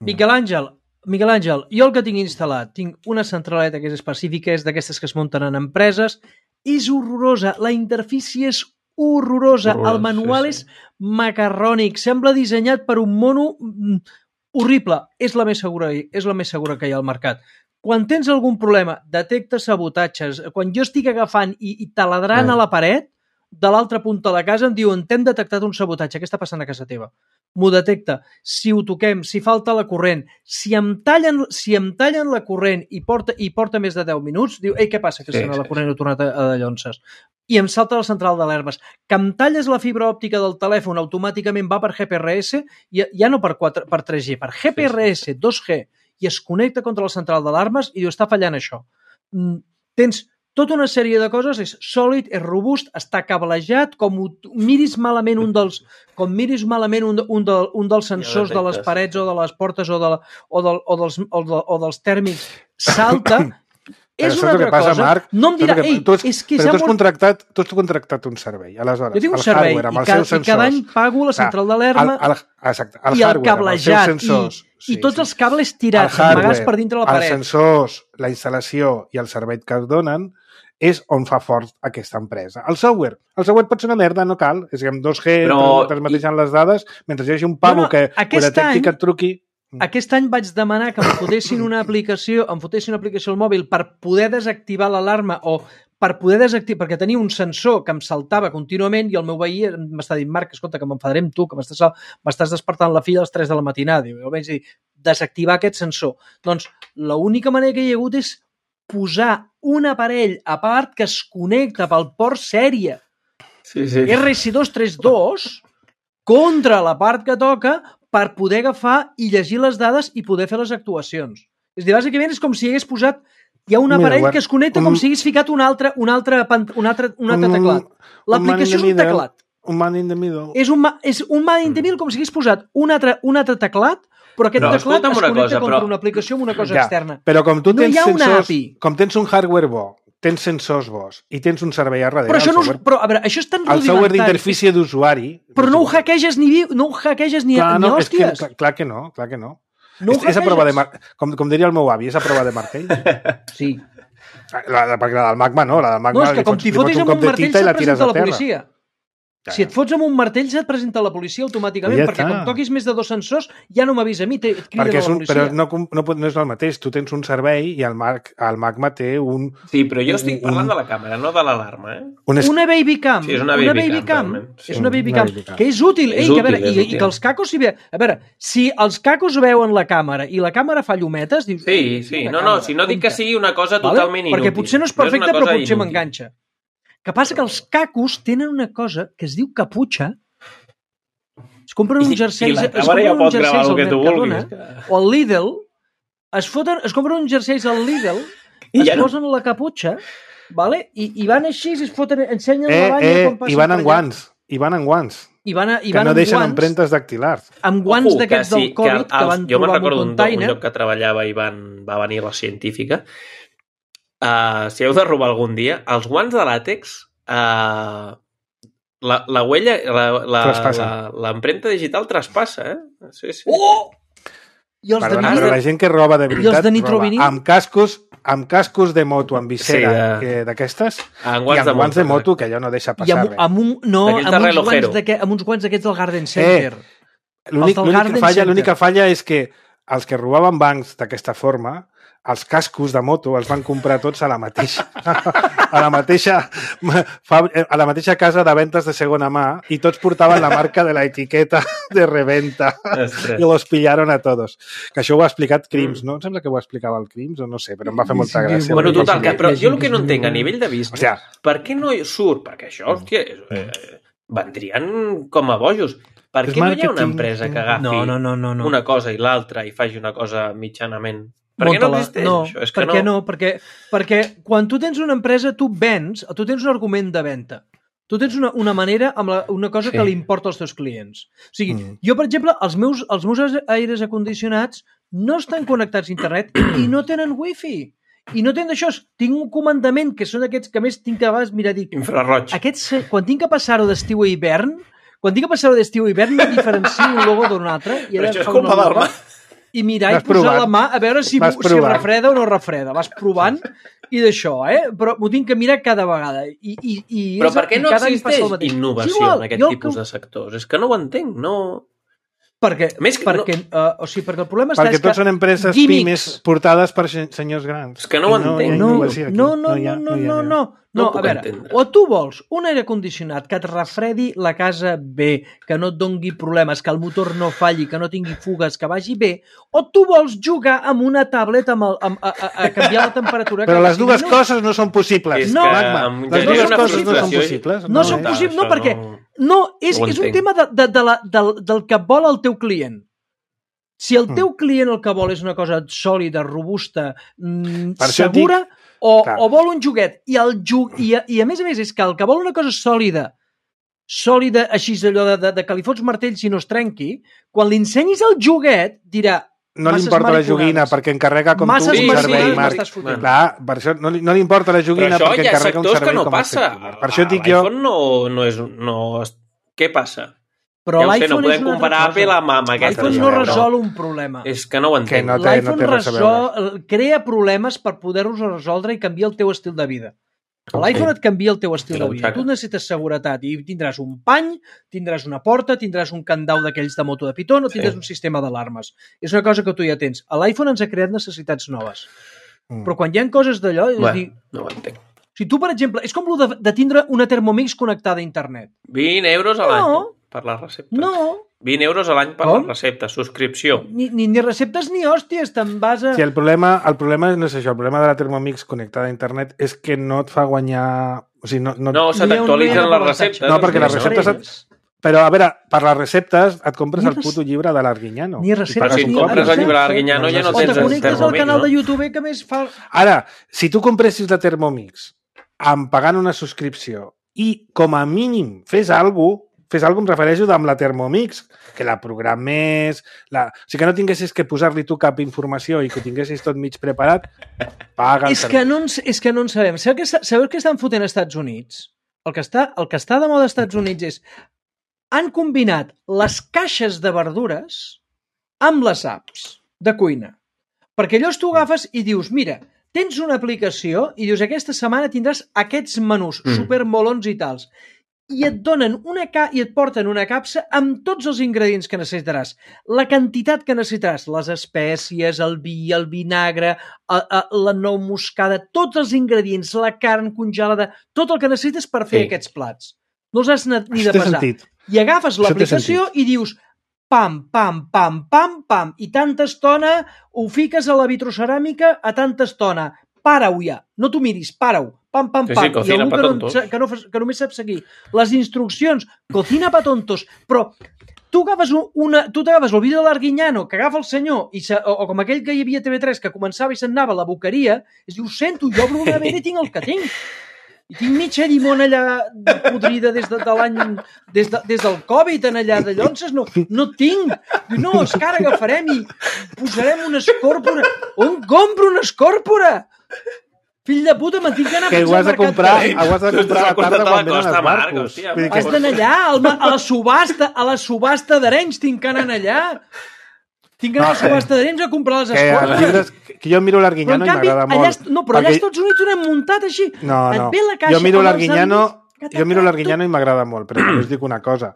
Miquel Àngel, Miquel Àngel, jo el que tinc instal·lat, tinc una centraleta que és específica, és d'aquestes que es munten en empreses, és horrorosa, la interfície és horrorosa. Horrorós, El manual sí, és sí. macarrònic. Sembla dissenyat per un mono mm, horrible. És la més segura, és la més segura que hi ha al mercat. Quan tens algun problema, detecta sabotatges. Quan jo estic agafant i, i taladrant Eh. a la paret, de l'altra punta de la casa em diuen t'hem detectat un sabotatge, què està passant a casa teva? M'ho detecta. Si ho toquem, si falta la corrent, si em tallen, si em tallen la corrent i porta, i porta més de deu minuts, diu, ei, què passa? Que Sí, sí, la sí, corrent ha tornat a, a de llonces. I em salta la central d'alarmes. Que em talles la fibra òptica del telèfon, automàticament va per G P R S, ja, ja no per, quatre, per tres G, per G P R S dos G, i es connecta contra la central d'alarmes i diu, està fallant això. Mm, tens tota una sèrie de coses, és sòlid, és robust, està cablejat, com ho, miris malament un dels, com miris malament un, un, de, un dels sensors Ja de les detectes, parets sí. o de les portes o, de, la- o, del, o, dels, o, de, o dels tèrmics, salta. Però És saps una el que altra passa, cosa. Marc? No em dirà, Saps el ei, que- tu has- és que però tu ja has molt... contractat, tu has contractat un servei, aleshores. Jo tinc un el servei hardware, amb i, els ca, seus i cada any sensors. pago la central El, d'alarma el, exacte, el i el hardware, amb els seus cablejat sensors. i, i tots els cables tirats, el amagats per dintre la els paret. sensors, la instal·lació i el servei que es donen és on fa fort aquesta empresa. El software. El software pot ser una merda, no cal. És que amb dos G Però- transmeteixen les dades, mentre hi hagi un pavo No, no, que ho aquest detecti, any- que et truqui... Aquest any vaig demanar que em fotessin una aplicació, em fotessin una aplicació al mòbil per poder desactivar l'alarma o per poder desactivar, perquè tenia un sensor que em saltava contínuament i el meu veí m'està dient, Marc, escolta, que m'enfadaré amb tu, que m'estàs m'estàs despertant la filla a les tres de la matinada. Diu, jo vaig dir, desactivar aquest sensor. Doncs l'única manera que hi ha hagut és posar un aparell a part que es connecta pel port sèrie Sí, sí. R S dos trenta dos contra la part que toca per poder agafar i llegir les dades i poder fer les actuacions. És a dir, bàsicament és com si hagués posat hi ha un Mira, aparell guarda, que es connecta un- com si hagués ficat un altre, un altre, pant- un altre, un altre Un- teclat. un L'aplicació és man in un the middle. teclat. Un man in the middle. És un, ma- és un man in the middle com si hagués posat un altre, un altre teclat, però aquest Però teclat escolta'm es una connecta cosa, contra però- una aplicació amb una cosa Ja, externa. Però com tu No tens hi ha una sensors, A P I. com tens un hardware bo, tens sensors bons i tens un servei a darrere, Però això, el no, software, és- però, a veure, això és tan el software rudimentari. d'interfície d'usuari... Però no ho d'usuari. hackeges ni, vi- no ho hackeges ni, Clar, ni no, és que, hòsties. clar, clar que no, clar que no. No ho és, és a prova de hackeges. mar... com, com diria el meu avi, és a prova de martell. Sí. La, la, perquè la del magma no, la del magma No, és que li com fots, t'hi li fots fotis un amb cop un de martell tita i se't la tires presenta a la terra. policia. Ja, Si et fots amb un martell se't presenta la policia automàticament, Ja perquè està. com toquis més de dos sensors ja no m'avisa a mi, te- et criden perquè a és la un, policia. però no, com- no, pot- no és el mateix. Tu tens un servei i el, Marc, el magma té un... Sí, però jo estic Un- parlant de la càmera, no de l'alarma, eh? un es... Una baby cam. Sí, és una baby cam, realment, sí. És una baby Una cam, baby cam. que és útil. És Ei, que a veure, útil, és i, útil. I que els cacos si ve... A veure, si els cacos veuen la càmera i la càmera fa llumetes, dius... Sí, "Eh, sí. una No, no, càmera, si no dic que compte". sigui una cosa Vale? totalment inútil. Perquè potser no és una perfecte, però cosa potser inútil. m'enganxa. Que passa que els cacos tenen una cosa que es diu caputxa. Es compren uns I- i jerseis, la es càmera compren ja uns pot gravar jerseis el al que tu Mercadona vulguis, que- o al Lidl, es, foten, es compren uns jerseis al Lidl, I es ja no- posen la caputxa, vale? I, i van així, es foten, ensenyen Eh, la banya eh, quan passen i van per amb allà. guants. I van amb guants. I van, a, i Que van no amb deixen guants, empremtes dactilars. amb guants Ojo, d'aquests que sí, del Covid que, els- van jo me'n trobar en un recordo d'un, un container. lloc que treballava i van, va venir la científica. Uh, si heu de robar algun dia, els guants de làtex, uh, la, la huella, la- la- Traspassa. la- l'empremta digital traspassa, eh? Sí, sí. Oh! I els de Perdona, nitro... però la gent que roba de veritat, els de nitrovinil? roba amb cascos, amb cascos de moto, amb visera Sí, eh, d'aquestes, En i guants amb de guants de moto, moto, que allò no deixa I passar amb, res. amb, un, no, D'aquells amb, de uns relojero. guants d'aquest- amb uns guants d'aquests del Garden Center. L'únic- del L'única Garden falla, Center. l'única falla és que els que robaven bancs d'aquesta forma, els cascos de moto els van comprar tots a la mateixa a la mateixa fab- a la mateixa casa de ventes de segona mà i tots portaven la marca de la etiqueta de reventa Ostres. i los pillaron a todos. Que això ho ha explicat Crims, no? Em sembla que ho explicava el Crims o no sé, però em va fer molta Sí, gràcia. Bueno, Hi ha total, gent que, que- però hi ha jo gent el que que no és entenc a molt- nivell de business, Hòstia. per què no hi surt? Perquè això, hòstia, és, eh, vendrien com a bojos. Per És què no hi ha una màrqueting. empresa que agafi No, no, no, no, no. una cosa i l'altra i faci una cosa mitjanament? Per què no Munta-la. existeix no, això? És que perquè no, perquè, perquè quan tu tens una empresa, tu vens, tu tens un argument de venda. Tu tens una, una manera, amb la, una cosa Sí. que li importa als teus clients. O sigui, Mm. jo, per exemple, els meus, els meus aires acondicionats no estan connectats a internet i no tenen wifi. I no tenen això. Tinc un comandament, que són aquests que a més tinc que a vegades, mira, dic, Infraroig. aquests, eh, quan tinc que passar-ho d'estiu a hivern, quan tinc que passar-ho d'estiu a hivern, no diferencio un logo d'un altre. I Però ara això és fa una culpa del logo. Marc. i mirar Vas i posar provant. la mà a veure si, Vas si provant. refreda o no refreda. Vas provant i d'això, eh? Però m'ho tinc que mirar cada vegada. I, i, i Però és- per què i no cada any passa el existeix mateix. innovació És igual, en aquest jo el tipus que- de sectors? És que no ho entenc, no... Perquè, Més que perquè, no... uh, o sigui, perquè el problema està Perquè és que tots són empreses gimmicks- pimes portades per se- senyors grans. És que no ho I entenc. hi ha No, innovació aquí. no, no, hi ha- no, hi ha- no, no, no. No No, ho puc a veure, entendre. o tu vols un aire condicionat que et refredi la casa bé, que no et dongui problemes, que el motor no falli, que no tingui fugues, que vagi bé, o tu vols jugar amb una tablet amb el, amb, a, a, a canviar la temperatura Però cada les cinc dues minuts. coses no són possibles. És No. que Magma, em les genera dues una coses no són frustració. possibles. No són està, possibles, no, això perquè no- no, és, no ho és un entenc. tema de, de, de la, del, del que vol el teu client. Si el teu client el que vol és una cosa sòlida, robusta, mm, Per això et segura, o, Clar. o vol un joguet, i, el ju i, a, i a més a més és que el que vol una cosa sòlida, sòlida, així allò de, de, de que li fots martell si no es trenqui, quan li ensenyis el joguet, dirà No li masses importa la joguina mariconades. perquè encarrega com Masses tu un mariconades servei, mariconades Marc. m'estàs fotent. Clar, per això no li, no li importa la Però joguina això perquè hi ha encarrega un sectors servei que no com passa. el teu. Per això et dic jo... L'iPhone no, no és... No, què passa? Però Ja ho sé, l'iPhone no és podem una comparar altra Apple cosa. amb, amb aquesta. L'iPhone ja, no però- resol un problema. És que no ho entenc. Que no té- no L'iPhone té res a resol, crea problemes per poder-los resoldre i canviar el teu estil de vida. L'iPhone et canvia el teu estil I la de vida. butxaca. Tu necessites seguretat i tindràs un pany, tindràs una porta, tindràs un candau d'aquells de moto de pitó, no tindràs Sí. un sistema d'alarmes. És una cosa que tu ja tens. A L'iPhone ens ha creat necessitats noves. Mm. Però quan hi ha coses d'allò, és Bé, dir, no ho entenc. si tu, per exemple, és com el de, de tindre una Thermomix connectada a internet. vint euros a l'any No. per les receptes. No, vint euros a l'any per Com? les receptes. Subscripció. ni, ni, ni receptes ni hòsties, te'n vas a... Sí, el problema, el problema no és això. El problema de la Thermomix connectada a internet és que no et fa guanyar... O sigui, no, no... No, se Ni un- ni t'actualitzen un les avantatge. receptes. No, perquè les Ni receptes res. Però, a veure, per les receptes et compres Ni el res- puto llibre de l'Arguinyano. ni receptes Però si ni et compres el res. llibre d'Arguinyano ja no O tens te el connectes al Thermomix, canal no? de YouTube que més fa... Ara, si tu compressis la Thermomix amb pagant una subscripció i com a mínim fes alguna cosa, fes alguna cosa, em refereixo amb la Thermomix, que la programés, la... o sigui que no tinguessis que posar-li tu cap informació i que ho tinguessis tot mig preparat, paga el És que, no ens, és que no en sabem. Sabeu què, està- sabeu què estan fotent als Estats Units? El que, està, el que està de moda als Estats Units és han combinat les caixes de verdures amb les apps de cuina. Perquè llavors tu agafes i dius, mira, tens una aplicació i dius, aquesta setmana tindràs aquests menús Mm. supermolons i tals. I et donen una ca i et porten una capsa amb tots els ingredients que necessitaràs. La quantitat que necessitaràs, les espècies, el vi, el vinagre, a, a, la nou moscada, tots els ingredients, la carn congelada, tot el que necessites per fer Sí. aquests plats. No els has anat ni de Això té pesar. sentit. I agafes Això té l'aplicació i dius pam, pam, pam, pam, pam, i tanta estona ho fiques a la vitroceràmica a tanta estona. Para-ho ja, no t'ho miris, para-ho, pam, pam, Sí, pam. sí, cocina I pa algú que, no, tontos. sa- que, no, fa- que només sap seguir les instruccions, cocina pa tontos, però tu agafes un- una, tu t'agafes el vídeo de l'Arguinyano que agafa el senyor, i se, o, o com aquell que hi havia a T V tres que començava i se'n anava a la boqueria, es diu, sento, jo obro una nevera i tinc el que tinc. I tinc mitja llimona allà podrida des de, de l'any, des, de, des del Covid en allà de llonces, no, no tinc. Diu, no, és que ara agafarem i posarem una escòrpora. On compro una escòrpora? Fill de puta, me'n tinc que anar Que fins ho al has de mercat. comprar, ho has de comprar a la tarda quan venen Costa, els Marc, barcos. hòstia, Vull dir Has que- d'anar allà, al ma- a la subhasta, a la subhasta d'Arenys, tinc que anar allà. Tinc que anar a la No, subhasta d'Arenys a comprar les que els escòrpores. llibres, que jo miro Però en l'Arguinyano i canvi, m'agrada allà, molt. est- no, però allà perquè- als Estats Units ho hem muntat així. No, Et no. ve la caixa Jo miro amb els l'Arguinyano, aliments, jo miro l'Arguinyano i m'agrada molt, però també us dic una cosa.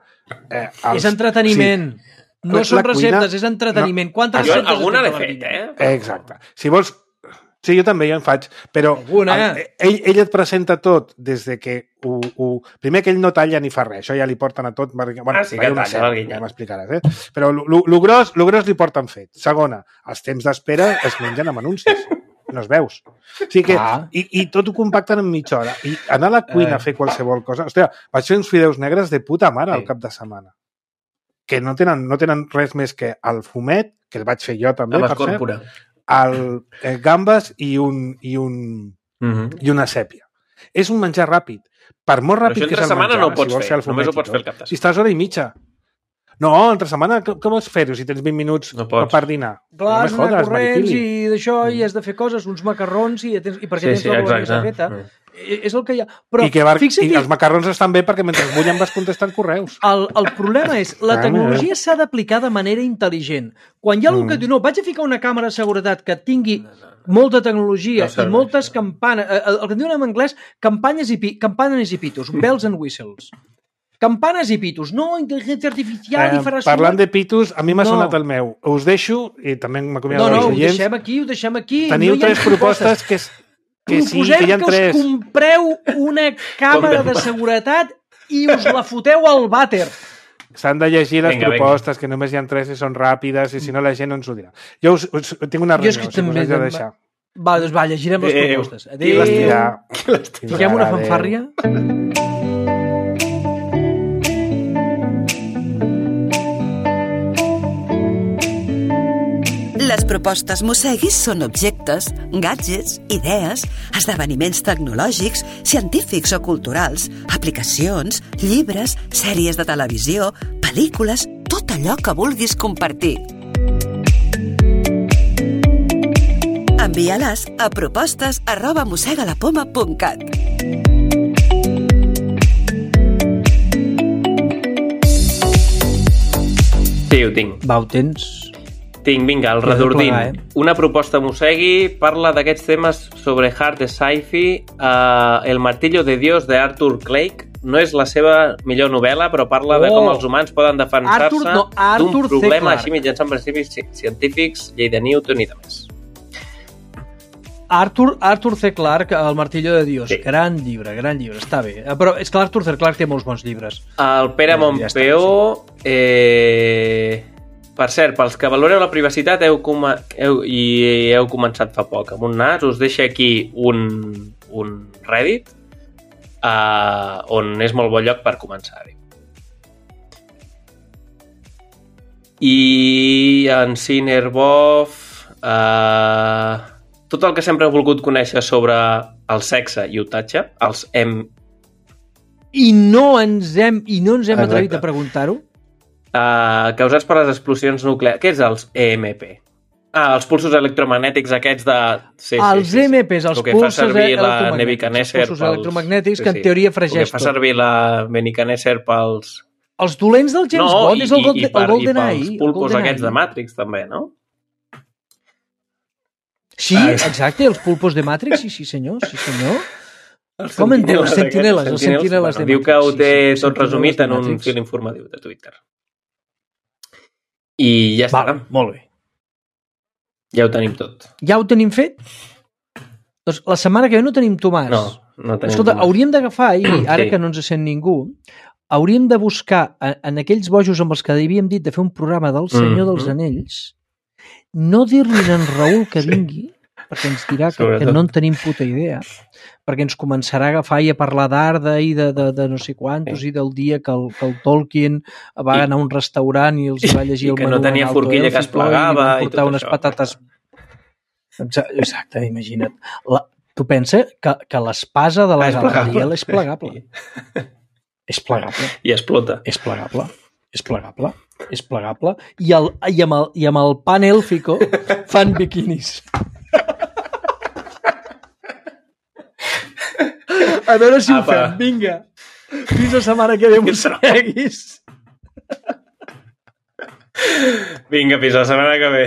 Eh, els- És entreteniment. Sí. No La són cuina- receptes, és entreteniment. Quantes Jo receptes alguna has l'he fet a fet, l'Arguinyano? eh? Exacte. Si vols... Sí, jo també, jo en faig, però Alguna. el- ell, ell et presenta tot des de que ho, ho... Primer que ell no talla ni fa res, això ja li porten a tot... Bueno, Ah, sí que hi ha una talla, sèrie, l'Arguinyano. ja m'explicaràs, eh? Però lo, lo, lo, gros, lo gros li porten fet. Segona, els temps d'espera es mengen amb anuncis. No es veus. O sigui que, Ah. i, I tot ho compacten en mitja hora. I anar a la cuina Eh. a fer qualsevol cosa... Hòstia, vaig fer uns fideus negres de puta mare Sí. al cap de setmana. Que no tenen, no tenen res més que el fumet, que el vaig fer jo també, Amb per cert, escòrpora. el, eh, gambes i un, i un, Mhm. i una sèpia. És un menjar ràpid. Per molt Però ràpid això que entre és el setmana menjar, no ho pots si vols fer, el fumet només ho i pots tot. fer al cap de Si estàs hora i mitja. No, entre setmana, com, com vols fer-ho si tens vint minuts No pots. per dinar? Clar, no has me d'anar jodes, corrents Maripili. i d'això, i has de fer coses, uns macarrons, i, tens, i perquè Sí, tens sí, la bolognesa exacte. feta. Mm. és el que hi ha. Però I, que var... fixa't I els macarrons estan bé perquè mentre bullen vas contestant correus. El, el problema és, la tecnologia s'ha d'aplicar de manera intel·ligent. Quan hi ha algú Mm. que diu, no, vaig a ficar una càmera de seguretat que tingui molta tecnologia No serveix, i moltes no. campanes, el que en diuen en anglès, campanyes i, pi, campanes i pitos, bells and whistles. Campanes i pitos, no intel·ligència artificial Eh, i farà parlant sumar- de pitos, a mi m'ha No. sonat el meu. Us deixo, i també m'acomiado No, no, dels ho oients. deixem aquí, ho deixem aquí. Teniu no hi ha tres propostes que, és- que sí, Proposem que hi ha que tres. us compreu una càmera de seguretat i us la foteu al vàter. S'han de llegir les Vinga, vinga. propostes, que només hi ha tres i són ràpides, i si no la gent no ens ho dirà. Jo us, us, tinc una Jo és reunió, que si us també haig de dem- deixar. Va, doncs va, llegirem les Adéu. propostes. I les Adéu. dirà. Fiquem una Adéu. fanfàrria. Les propostes Mosseguis són objectes, gadgets, idees, esdeveniments tecnològics, científics o culturals, aplicacions, llibres, sèries de televisió, pel·lícules, tot allò que vulguis compartir. Envia-les a propostes arroba mossegalapoma punt cat. Sí, ho tinc. Va, ho tens. Tinc, vinga, el Ja he de redordín. plegar, eh? Una proposta Mosegui parla d'aquests temes sobre hard sci-fi. Uh, El martillo de Dios de Arthur Clarke. No és la seva millor novel·la, però parla de Oh! com els humans poden defensar-se Arthur- no, Arthur d'un C. problema Clarke. així mitjançant principis ci- científics, llei de Newton i de més. Arthur, Arthur C. Clarke, El martillo de Dios. Sí. Gran llibre, gran llibre, està bé. Eh, Però és que l'Arthur C. Clarke té molts bons llibres. El Pere Ja Montpeó... Eh... Per cert, pels que valoreu la privacitat heu, com... heu... i heu començat fa poc amb un nas, us deixa aquí un, un Reddit uh, on és molt bon lloc per començar-hi. I en Cinerbof... Uh, tot el que sempre he volgut conèixer sobre el sexe i otatge, els M... I no ens hem, i no ens hem Exacte. atrevit a preguntar-ho. Uh, causats per les explosions nuclears. Què és els E M P? Ah, els pulsos electromagnètics aquests de... Sí, Els sí, sí, sí. E M Ps, els El que fa pulsos servir la electromagnètics, Nebuchadnezzar els pulsos electromagnètics que en teoria fregeix El que fa tot. servir la Nebuchadnezzar pels... Els dolents del James no, Bond és el, Gold, i, per, el Golden i Eye. pels el pulpos Golden aquests Eye. de Matrix també, no? Sí, Ah, exacte, els pulpos de Matrix, sí, sí senyor, sí senyor. Els Com en diu? Els aquests, sentineles, els sentineles de bueno, diu que Matrix, ho té sí, sí, tot sentineles resumit de en un Matrix. fil informatiu de Twitter. I ja està. Val, molt bé. Ja ho tenim tot. Ja ho tenim fet? Doncs la setmana que ve no tenim Tomàs. No, no tenim Escolta, Tomàs. hauríem d'agafar, i ara Sí. que no ens sent ningú, hauríem de buscar en, en aquells bojos amb els que havíem dit de fer un programa del Senyor Mhm. dels Anells, no dir-li a en Raül que vingui, perquè ens dirà que, que Sobretot. no en tenim puta idea, perquè ens començarà a agafar i a parlar d'Arda i de, de, de no sé quantos Sí. i del dia que el, que el Tolkien va I- anar a un restaurant i els hi va llegir i el que no menú tenia en alto forquilla que es élfico plegava i li van i portar tot unes això. patates... Exacte, exacte imagina't. La, tu pensa que, que l'espasa de la Ah, és Galadriel plegable. és plegable. És plegable. I explota. És plegable. És plegable. És plegable. I, el, i, amb, el, i amb el pan élfico fan biquinis. A veure si ho Apa. fem. Vinga. Fins la setmana que ve m'ho seguis. Vinga, fins la setmana que ve.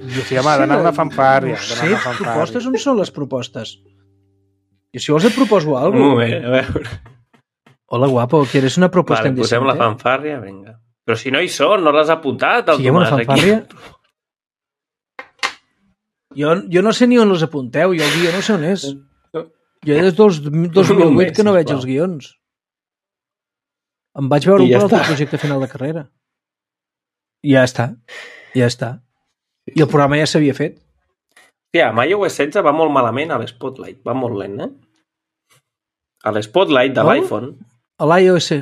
I sí, home, d'anar a una fanfàrria. No d'anar a sé, una fanfàrria. propostes, on són les propostes? Jo si vols et proposo Un alguna cosa. moment, a veure. Hola, guapo, ¿quieres una propuesta Vale, posem la indecente? fanfàrria, vinga. Però si no hi són, no l'has apuntat, el Siguem una Tomàs, fanfàrria? aquí. Jo, jo no sé ni on els apunteu, jo el guió no sé on és. Jo des del dos mil Un vuit mes, que no veig sisplau. els guions. Em vaig veure I un ja per al està. projecte final de carrera. I ja està. Ja està. I el programa ja s'havia fet. Hòstia, amb iOS setze va molt malament a l'Spotlight. Va molt lent, eh? A l'Spotlight de Com? l'iPhone. A l'iOS.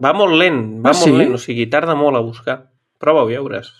Va molt lent, va Ah, molt sí? lent, o sigui, tarda molt a buscar. Prova-ho, ja veuràs.